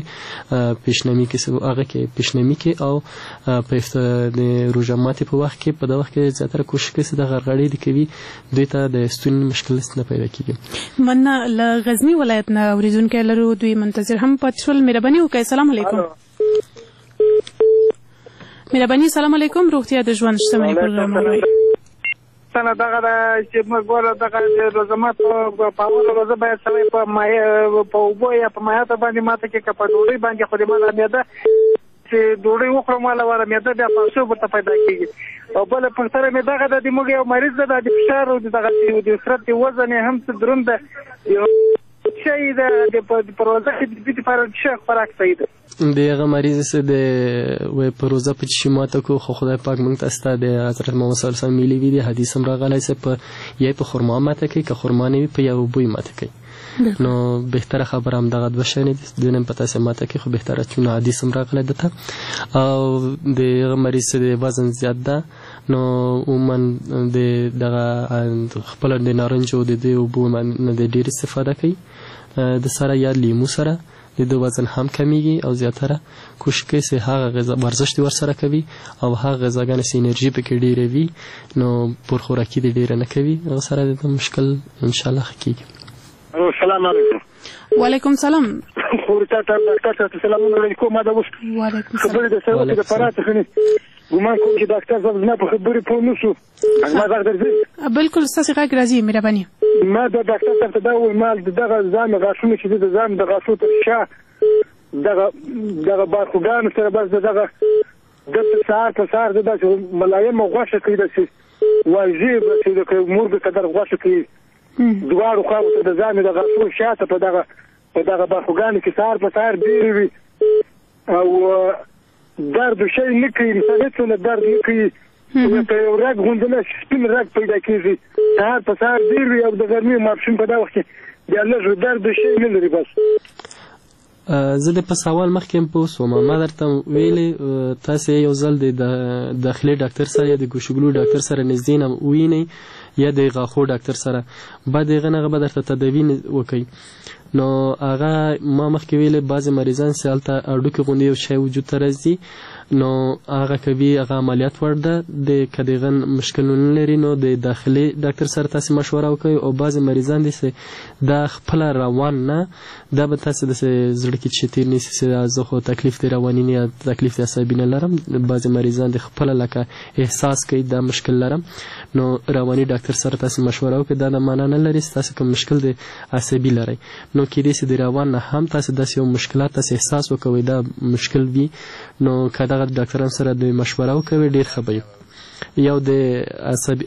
پیشنمي کې هغه کې پیشنمي کې او په د روژه ماتې په وخت کې په دا وخت کې زیاتره کوشش کوي چې د غرغړې د کوي دوی ته د ستوني مشکل نه پیدا کېږي. مننه. له غزني ولایت نه اورېدونکی لرو، دوی منتظر هم پاتې شول. مهرباني وکړئ. سلام علیکم. مهرباني. سلام علیکم. روغتیا د ژوند شتمني پروګرام اورئ. پوښتنه دغه ده چې موږ ګوره دغه د روژه مات په اوله روژه باید سړی په په اوبو یا په مایعاتو باندې ماته کړي که په ډوډۍ باندې، خو د ما دا معده چې ډوډۍ وخورم واله واره معده بیا پړسوب ورته پیدا کېږي. او بله پوښتنه مې دغه ده د موږ یو مریض ده د فشار او د دغه د عسرت د وزن یې هم څه دروند ده، یو شی ده د په روژه کې د دې لپاره څه خوراک صحیح ده؟ د هغه مریض سه د وای په روزه په چې ماته کو خو خدای پاک مونږ ته ستا د حضرت محمد صلی الله علیه وسلم ویلي وي، د حدیث هم راغلی سه په یا په خرما ماته کوي که خرما نه وي په یو بوی ماته کوي. نو بهتره خبره هم دغه دوه شیان دي، د نن په تاسې ماته کوي خو بهتره چون حدیث هم راغلی دته. او د هغه مریض سه د وزن زیات ده، نو عموما د دغه خپل د نارنجو د دې اوبو نه د ډېر استفاده کوي د سره یا لیمو سره د ده وزن هم کمیږي او زیاتره کوشش کوي چې هغه غذا ورزش دې ورسره کوي او هغه غذاګانې چې انرژي پکې ډېره وي نو پرخوراکي دې ډېره نه کوي، هغه سره د ده مشکل انشاءالله ښه کېږي. السلام علیکم. وعلیکم سلام. خور تا ته ډاکټر صاحب سلامونه وړاندې کوم. ما دا اوس خبرې درسره وکړې د فراه څخه ګومان کوم چې ډاکټر صاحب زما په خبرې پوه نه شو. زما غږ درځي؟ بالکل ستاسې غږ راځي. مهرباني. ما د ډاکټر صاحب ته دا وویل ما د دغه ځان غاښونو چې د ځان د غاښو تر شا دغه دغه بارخوګانو سره بس د دغه دلته سهار په سهار د داسې ملایمه غوښه کوي، داسې واژې داسې لکه مرګ قدر غوښه کوي دواړو خواوو ته د ځان د غاښو شاته په دغه په دغه برخوګانو کې سهار په سهار ډېرې وي او درد شی نه کوي، مثلا هېڅ درد نه کوي، لکه یو رګ غوندې نه سپین رګ پیدا کېږي، سهار په سهار ډېر وي او د غرمې ماسپښین په دا وخت کې بیا لږ درد شی نه لري بس. زه د په سوال مخکې هم پوه سوم، ما درته ویلې تاسې یو ځل د داخلي ډاکتر سره یا د ګوشګلو ډاکتر سره نږدې نه ووینئ یا د غاښو ډاکتر سره، بعد هغه نه هغه به درته تداوي وکړي. نو هغه ما مخکې ویلې بعضې مریضان چې هلته هډوکي غوندې یو شی وجود ته راځي، نو هغه کوي هغه عملیات وړ ده، د که د هغه مشکل نه لري نو د داخلي ډاکتر سره تاسې مشوره وکړئ. او بعضې مریضان دي چې دا خپله روان نه، دا به تاسې داسې زړه کې چې تېر نیسي چې زه خو تکلیف د رواني نه یا تکلیف د عصبي نه لرم، بعضې مریضان د خپله لکه احساس کوي دا مشکل لرم، نو رواني ډاکتر سره تاسې مشوره وکړئ. دا د معنا نه لري چې تاسې کوم مشکل د عصبي لرئ، نو کېدای شي د روان نه هم تاسې داسې یو مشکلات تاسې احساس وکوئ دا مشکل وي، نو که دغه ډاکټران سره د مشوره وکوي ډېر ښه به وي. یو د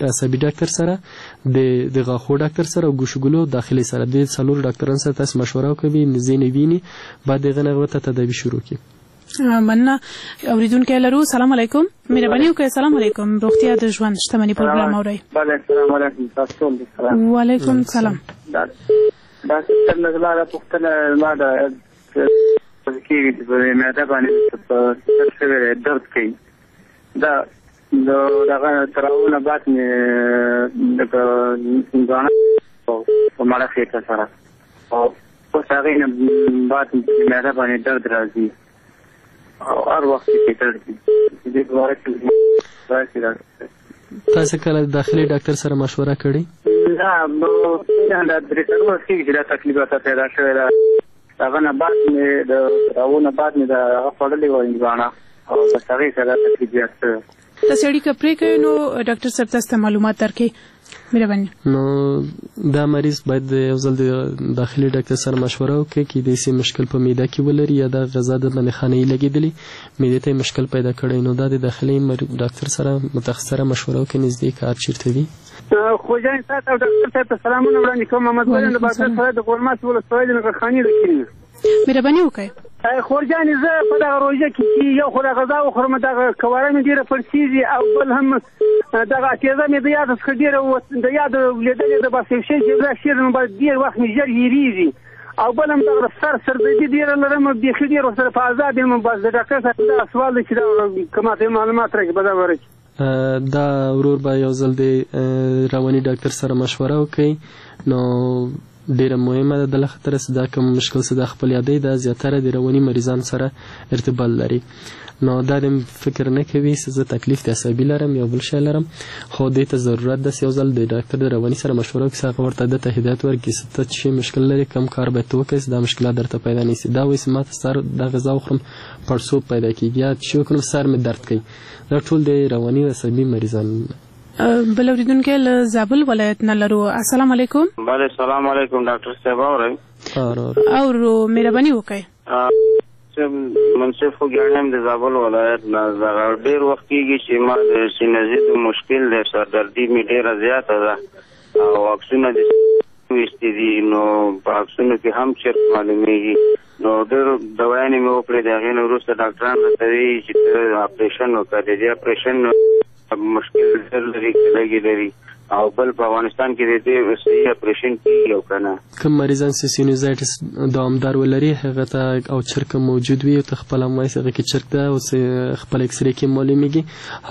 عصبي ډاکټر سره، د غاښو ډاکټر سره او ګوشګلو داخلي سره، د څلور ډاکټران سره تاسې مشوره وکوي، نږدې نه ویني، بعد د هغه نه هغه ته تداوي شروع کړي. مننه. اوریدونکی لرو. سلام علیکم، مهرباني وکړئ. سلام علیکم، روغتیا د ژوند شتمني پروګرام اورئ. بله، سلام علیکم، تاسو ټول دي سلام. وعلیکم سلام. ډاکټر صاحب زما دا پوښتنه ما د کېږي چې په معده باندې په سر شوی دی، درد کوي، دا د دغه تراونه بعد مې لکه ځوانه په مړه خېټه سره، او اوس هغې نه بعد مې په معده باندې درد راځي او هر وخت کې درد وي. دې په باره کې راشي ډاکټر صاحب. تاسې کله د داخلي ډاکټر سره مشوره کړې؟ نه، دا 3 کلونه کېږي چې دا تکلیف راته پیدا شوی ده. هغه نه بعد مې د راوو نه بعد مې د هغه خوړلې وه هندواڼه، او بس هغې سره دا تکلیف زیات شوی. تاسې اړیکه پرې کوئ نو ډاکټر صاحب تاسو ته معلومات درکړي. مهرباني. نو دا مریض باید یو ځل د داخلي ډاکټر سره مشوره وکړي، کېدای شي مشکل په معده کې ولري یا دا غذا د باندې خانه یې لګېدلې معدې ته یې مشکل پیدا کړی، نو دا د داخلي ډاکټر سره متخصص سره مشوره وکړي، نږدې کار چېرته وي. خوجان صاحب او ډاکټر صاحب ته سلامونه وړاندې کوم. محمد ګل یم د بادغیس ولایت د غورماس ولسوالۍ د نغرخانې له کلي نه. مهرباني وکړئ. خورجانې، زه په دغه روژه کې چې یو خو دا غذا وخورم دغه کواره مې ډېره پړسېږي، او بل هم دغه اتېزه مې د یاد څخه ډېره د یاد لېدلې ده، بس یو شی چې دا شعر نو بس ډېر وخت مې ژر هېرېږي، او بل هم دغه سر سردردي ډېره لرم، بېخي ډېر ورسره په عذاب یم. بس د ډاکټر صاحب دغه سوال دی چې دا که ماته یې معلومات راکړي په دغه باره کې. دا ورور به یو ځل د رواني ډاکټر سره مشوره وکړي، نو ډیره مهمه ده د خاطر چې دا کوم مشکل چې دا خپل یادې ده زیاتره د رواني مریضان سره ارتباط لري، نو دا د فکر نه کوي چې زه تکلیف د عصبي لرم یا بل شی لرم، خو دې ته ضرورت ده چې یو ځل د ډاکټر د رواني سره مشوره وکړي، هغه ورته ده ته هدایت ورکړي چې ته څه مشکل لرې، کوم کار باید ته وکړې چې دا مشکلات درته پیدا نه شي. دا وایي چې ما ته سر دا غذا وخورم پړسوب پیدا کېږي، یا چې وکړم سر مې درد کوي، دا ټول د رواني او عصبي مریضان. بل اوریدونکی له زابل ولایت نه لرو. السلام علیکم. بله، سلام علیکم ډاکټر صاحب، اورئ؟ اورو، مهرباني وکړئ. منصف خوږیاڼی یم د زابل ولایت نه. دغه ډېر وخت کېږي چې ما د سینزیت مشکل دی، سردردي مې ډېره زیاته ده او عکسونه د ویستي دي، نو په عکسونو کې هم چرک معلومېږي، نو ډېر دوايانې مې وکړې. د هغې نه وروسته ډاکټران راته وایي چې ته اپرېشن وکړه. د دې اپرېشن مشکل ډېر لري که لږې لري، او بل په افغانستان کې د دې صحیح اپرېشن کېږي او که نه؟ کوم مریضان چې سینوزایټس دوامدار ولري هغه ته او چرک موجود وي، ته خپله هم وایي هغه کې چرک ده او خپل اکسرې کې معلومېږي،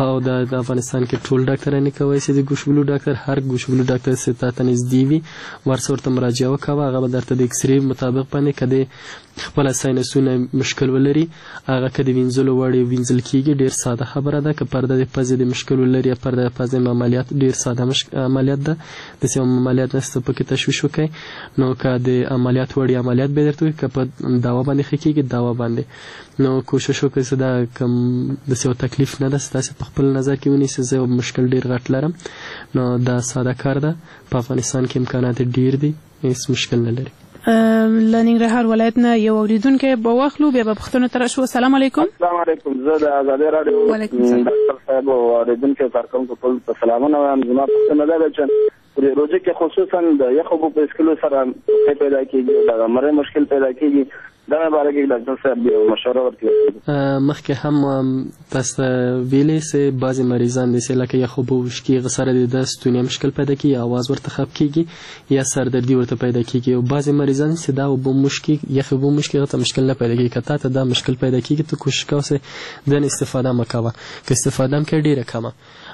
او د افغانستان کې ټول ډاکټران یې کوی شي، د ګوشګلو ډاکټر، هر ګوشګلو ډاکټر چې تا ته نږدې وي ورسره ورته مراجعه وکوه، هغه به درته د اکسرې مطابق باندې که د خپله ساینسونه مشکل ولري هغه که د وینځلو وړ وینځل کېږي، ډېر ساده خبره ده. که پرده د پزې د مشکل ولري یا پرده د پزې عملیات ډېر ساده عملیات ده، داسې یو عملیات نشته پکې تشویش وکړئ. نو که د عملیات وړ عملیات به درته وکړي، که په دوا باندې ښه کېږي دوا باندې، نو کوشش وکړئ چې دا کوم داسې یو تکلیف نه ده چې تاسې په خپل نظر کې ونیسئ زه یو مشکل ډېر غټ لرم، نو دا ساده کار ده. په افغانستان کې امکانات ډېر دي، هېڅ مشکل نه لري. له ننګرهار ولایت نه یو اوریدونکی به واخلو، بیا به پوښتنو ته راشو. السلام علیکم. السلام علیکم، زه د ازادي راډیو ډاکټر صاحب او اورېدونکو کارکوونکو ټولو ته سلامونه وایم. زما پوښتنه دا ده چې په دې روژه کې خصوصا د یخو اوبو په څښلو سره ټوخی پیدا کېږي، دغه مرۍ مشکل پیدا کېږي، دغه باره کې ډاکټر صاحب یو مشوره ورکړي. مخکې هم تاسو ته ویلې چې بعضې مریضان دي چې لکه یخ اوبه وڅښي هغه سره د ده ستونی مشکل پیدا کیږي، اواز ورته خپ کیږي یا سردردي ورته پیدا کیږي. او بعضې مریضان چې دا اوبه مشکي یخ اوبه مشکي هغه ته مشکل نه پیدا کیږي. که تا ته دا مشکل پیدا کیږي ته کوشش کوه چې دنه استفاده مه کوه، که استفاده هم کوې ډېره کمه.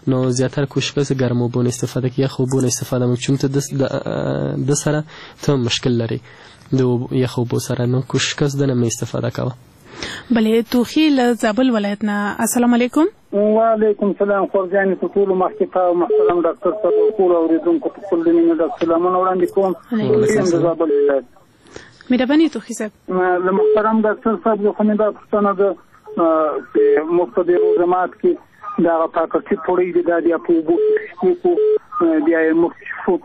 نو زیاتره کوشش کوه چې ګرمو اوبو نه استفاده کوي، یخ اوبو نه استفاده مه کوه، چون ته د سره ته مشکل لرې د یخ اوبو سره، نو کوشش کوه چې دنه مه استفاده کوه. بله توخي له زابل ولایت نه، السلام علیکم. وعلیکم سلام خور جانې، په ټولو مخکې تا او محترم ډاکټر صاحب او ټولو اورېدونکو ته خپل د مینې ډک سلامونه وړاندې کوم. یم د زابل ولایت. مهرباني توخي صاحب. له محترم ډاکټر صاحب څخه مې دا پوښتنه ده چې موږ په دې روژه مات کې دغه پاکټي پوړۍ دي دا بیا په اوبو کې کښتې بیا یې موږ څښو،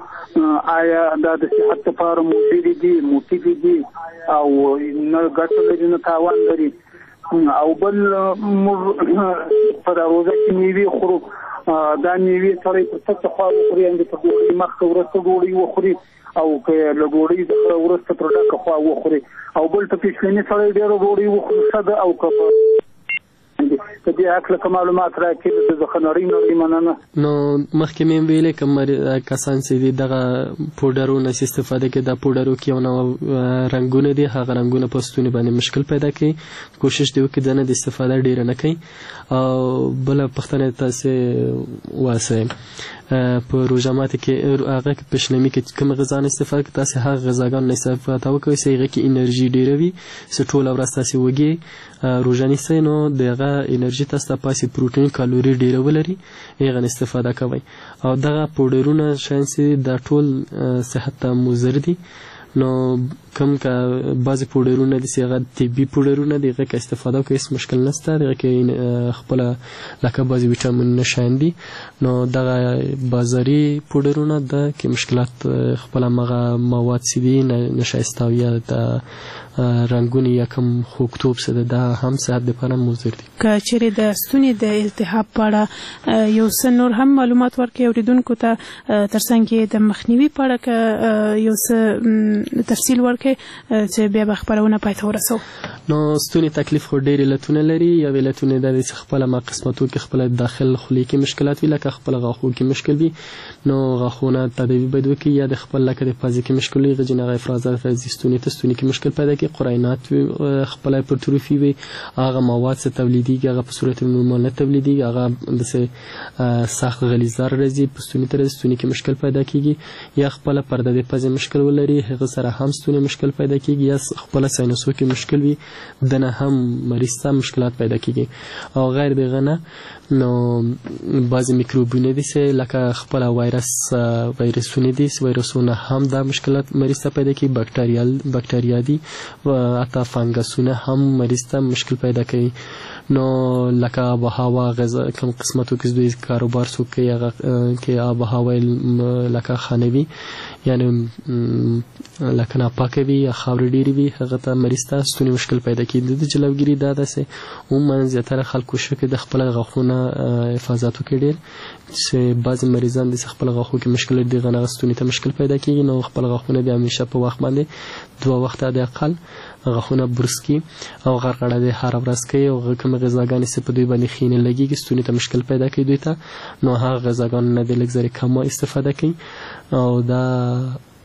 آیا دا د صحت لپاره مضرې دي، مفیدې دي او نه ګټه لري نه تاوان لري؟ او بل موږ په دا روژه کې میوې خورو، دا میوې سړی پر څه خوا وخوري، یعنې په ډوډۍ مخکې وروسته ډوډۍ وخوري او که له ډوډۍ څخه وروسته پر ډکه خوا وخوري؟ او بل په پېشلمي سړی ډېره ډوډۍ وخوري ښه ده او که په دې هکله که معلومات راکړي د څخه نړۍ نړۍ مننه. نو مخکې مې هم ویلې کوم کسان چې دي دغه پوډرونه چې استفاده کوي، دا پوډرو کې یو نوع رنګونه دي، هغه رنګونه په ستوني باندې مشکل پیدا کوي، کوشش دې وکړي دنه د استفاده ډېره نه کوي. او بله پوښتنه تاسې واسئ په روژه ماتي کې هغه کې پشلمي کې کوم غذا نه استفاده کوي، تاسې هغه غذاګانو نه استفاده وکړئ چې هغه کې انرژي ډېره وي، چې ټوله ورځ تاسې وږي روژه نیسئ، نو د هغه انرژي تاسو ته پاسې پروټین کالوري ډېره ولري، هغه نه استفاده کوئ. او دغه پوډرونه شیان چې دا ټول صحت ته مضر دي. نو کوم که بعضې پوډرونه دي چې هغه طبي پوډرونه دي، هغه که استفاده وکړي هېڅ مشکل نشته، هغه کې خپله لکه بعضې ویټامینونه شیان دي. نو دغه بازاري پوډرونه ده کې مشکلات خپل هماغه مواد چې دي نشایسته او یا د رنګونه یا کوم خوږتوب څه ده، دا هم صحت دپاره مضر دي. که چیرې د ستوني د التهاب په اړه یو څه نور هم معلومات ورکړئ اورېدونکو ته، ترڅنګ یې د مخنیوي په اړه که یو څه تفصیل ورکړئ چې بیا به خپرونه پای ته ورسوو. نو ستوني تکلیف خو ډېر علتونه لري. یو علتونه دا دی چې خپله ما قسمتو کې خپله داخل خولې کې مشکلات وي، لکه خپل غاښو کې مشکل وي، نو غاښونه تداوي باید وکړي، یا د خپل لکه د پزې کې مشکل وي، غجن هغه افرازات راځي ستوني ته، ستوني کې مشکل پیدا کړي، قرینات وي، خپله هایپرتروفي وي، هغه مواد چې تولیدېږي هغه په صورت نورمال نه تولیدېږي، هغه داسې سخت غلیظدار راځي په ستوني ته راځي، ستوني کې مشکل پیدا کېږي، یا خپله پرده د پزې مشکل ولري هغه سره هم ستوني مشکل پیدا کېږي، یا خپله ساینوسو کې مشکل وي دنه هم مریض ته مشکلات پیدا کېږي. او غیر دغه نه نو بعضې میکروبونه دي چې لکه خپله وایرسونه دي، وایرسونه هم دا مشکلات مریض ته پیدا کوي، بکټریا دي، حتی فنګسونه هم مریض ته مشکل پیدا کوي. نو لکه آب و هوا غذا کوم قسمتو کې دوی کاروبار څوک کوي هغه کې آب و هوا لکه ښه وي، یعنې لکه ناپاکه وي یا خاورې ډېرې وي، هغه ته مریض ته ستوني مشکل پیدا کیږي. د دې جلوګیري دا ده چې عموما زیاتره خلک کوشش کوي د خپل غاښونه حفاظت وکړي ډېر، چې بعضې مریضان داسې خپل غاښو کې مشکل لري، دغه نه ستوني ته مشکل پیدا کیږي، نو خپل غاښونه بیا همیشه په وخت باندې دوه وخته حد اقل غاښونه برس کړي او غرغړه دې هره ورځ کوي، او کوم غذاګانې چې په دوی باندې ښې نه لګېږي ستوني ته مشکل پیدا کوي دوی ته، نو هغه غذاګانو نه دې لږ ذرې کمه استفاده کوي. او دا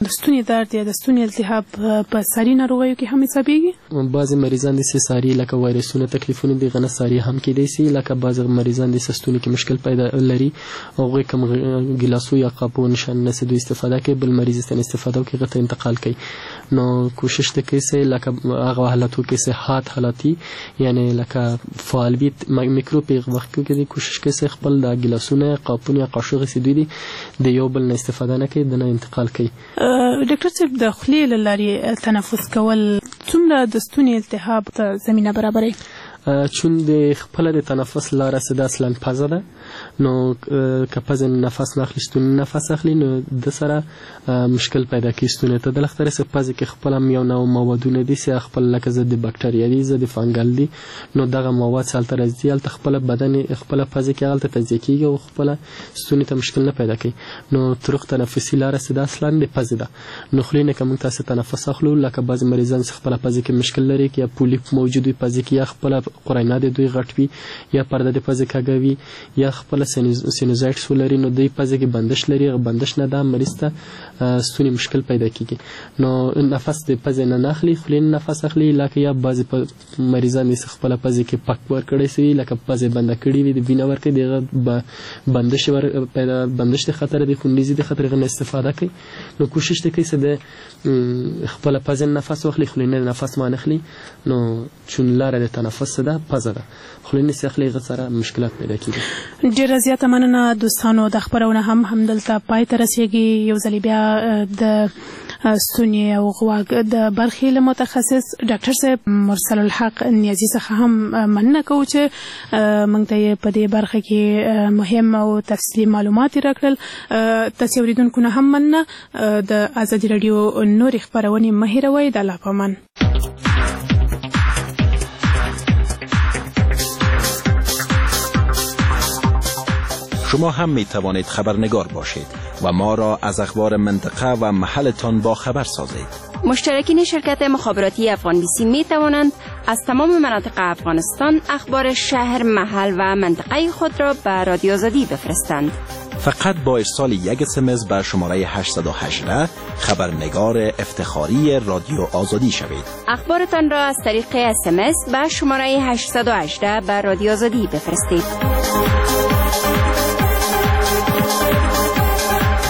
د ستوني درد یا د ستوني التهاب په ساري ناروغیو کې هم حسابېږي؟ بعضې مریضان داسې ساري لکه وایرسونه تکلیفونه دي، غنه ساري هم کېدای سي، لکه بعضې مریضان داسې ستوني کې مشکل پیدا لري، هغوی کوم ګیلاسو یا قاپو نشان نه دوی استفاده کوي، بل مریض ته استفاده وکړي هغه ته انتقال کوي. نو کوشش دې کوي چې لکه هغه حالتو کې چې حاد حالتي یعنې لکه فعال وي میکروب په وخت کې دې کوشش کوي چې خپل دا ګیلاسونه قاپونه یا قاشوغې چې دوی دي د یو بل نه استفاده نه کوي، د نه انتقال کوي. ډاکټر صاحب، د خولې له لارې تنفس کول څومره د ستوني التهاب ته زمینه برابروي؟ چون د خپله د تنفس لاره څه ده اصلا پزه ده، نو که پزې نفس نه اخلي ستوني نفس اخلي نو د سره مشکل پیدا کوي ستوني ته. د لخترې چې پزې کې خپل هم یو نوع موادونه دي چې خپل لکه ضد بکټریا دي، ضد فنګل دي، نو دغه مواد چې هلته راځي هلته خپله بدن خپله پزې کې هلته تجزیه کېږي او خپله ستوني ته مشکل نه پیدا کوي. نو طرق تنفسي لاره چې ده اصلا د پزې ده. نو خولې نه که موږ تاسې تنفس اخلو لکه بعضې مریضان چې خپله پزې کې مشکل لري، یا پولیپ موجود وي پزې کې، یا خپله قرینه د دوی غټ وي، یا پرده د پزې کږه وي، یا خپله سینوزایټس ولري، نو دوی پزې کې بندش لري، هغه بندش نه دا مریض ته ستوني مشکل پیدا کیږي. نو نفس د پزې نه اخلي، خولې نه نفس اخلي، لکه یا بعضې مریضان یې خپله پزې کې پک ورکړی سوي، لکه پزې بنده کړې وي، د وینه ورکړي، د هغه بندش پیدا بندش د خطر د خونریزي د خطر هغه نه استفاده کوي. نو کوشش دی کوي چې د خپله پزې نه نفس واخلي، خولې نه نفس وانخلي. نو چون لاره د تنفس ده پزه ده، خولې نه اخلي هغه سره مشکلات پیدا کیږي. ډیره زیاته مننه دوستانو، د خپرونه هم همدلته پای ته رسیږي. یو ځل بیا د ستوني او غوږ د برخې له متخصص ډاکټر صاحب مرسل الحق نیازي څخه هم مننه کوو چې موږ ته یې په دې برخه کې مهم او تفصیلي معلومات راکړل. تاسې اورېدونکو نه هم مننه. د ازادي راډیو نورې خپرونې مه هېروئ. د الله په امان. شما هم می توانید خبرنگار باشید و ما را از اخبار منطقه و محلتان با خبر سازید. مشترکین شرکت مخابراتی افغان بیسی می توانند از تمام مناطق افغانستان اخبار شهر، محل و منطقه خود را به رادیو آزادی بفرستند. فقط با ارسال یک SMS به شماره 818 خبرنگار افتخاری رادیو آزادی شوید. اخبارتان را از طریق SMS به شماره 818 به رادیو آزادی بفرستید.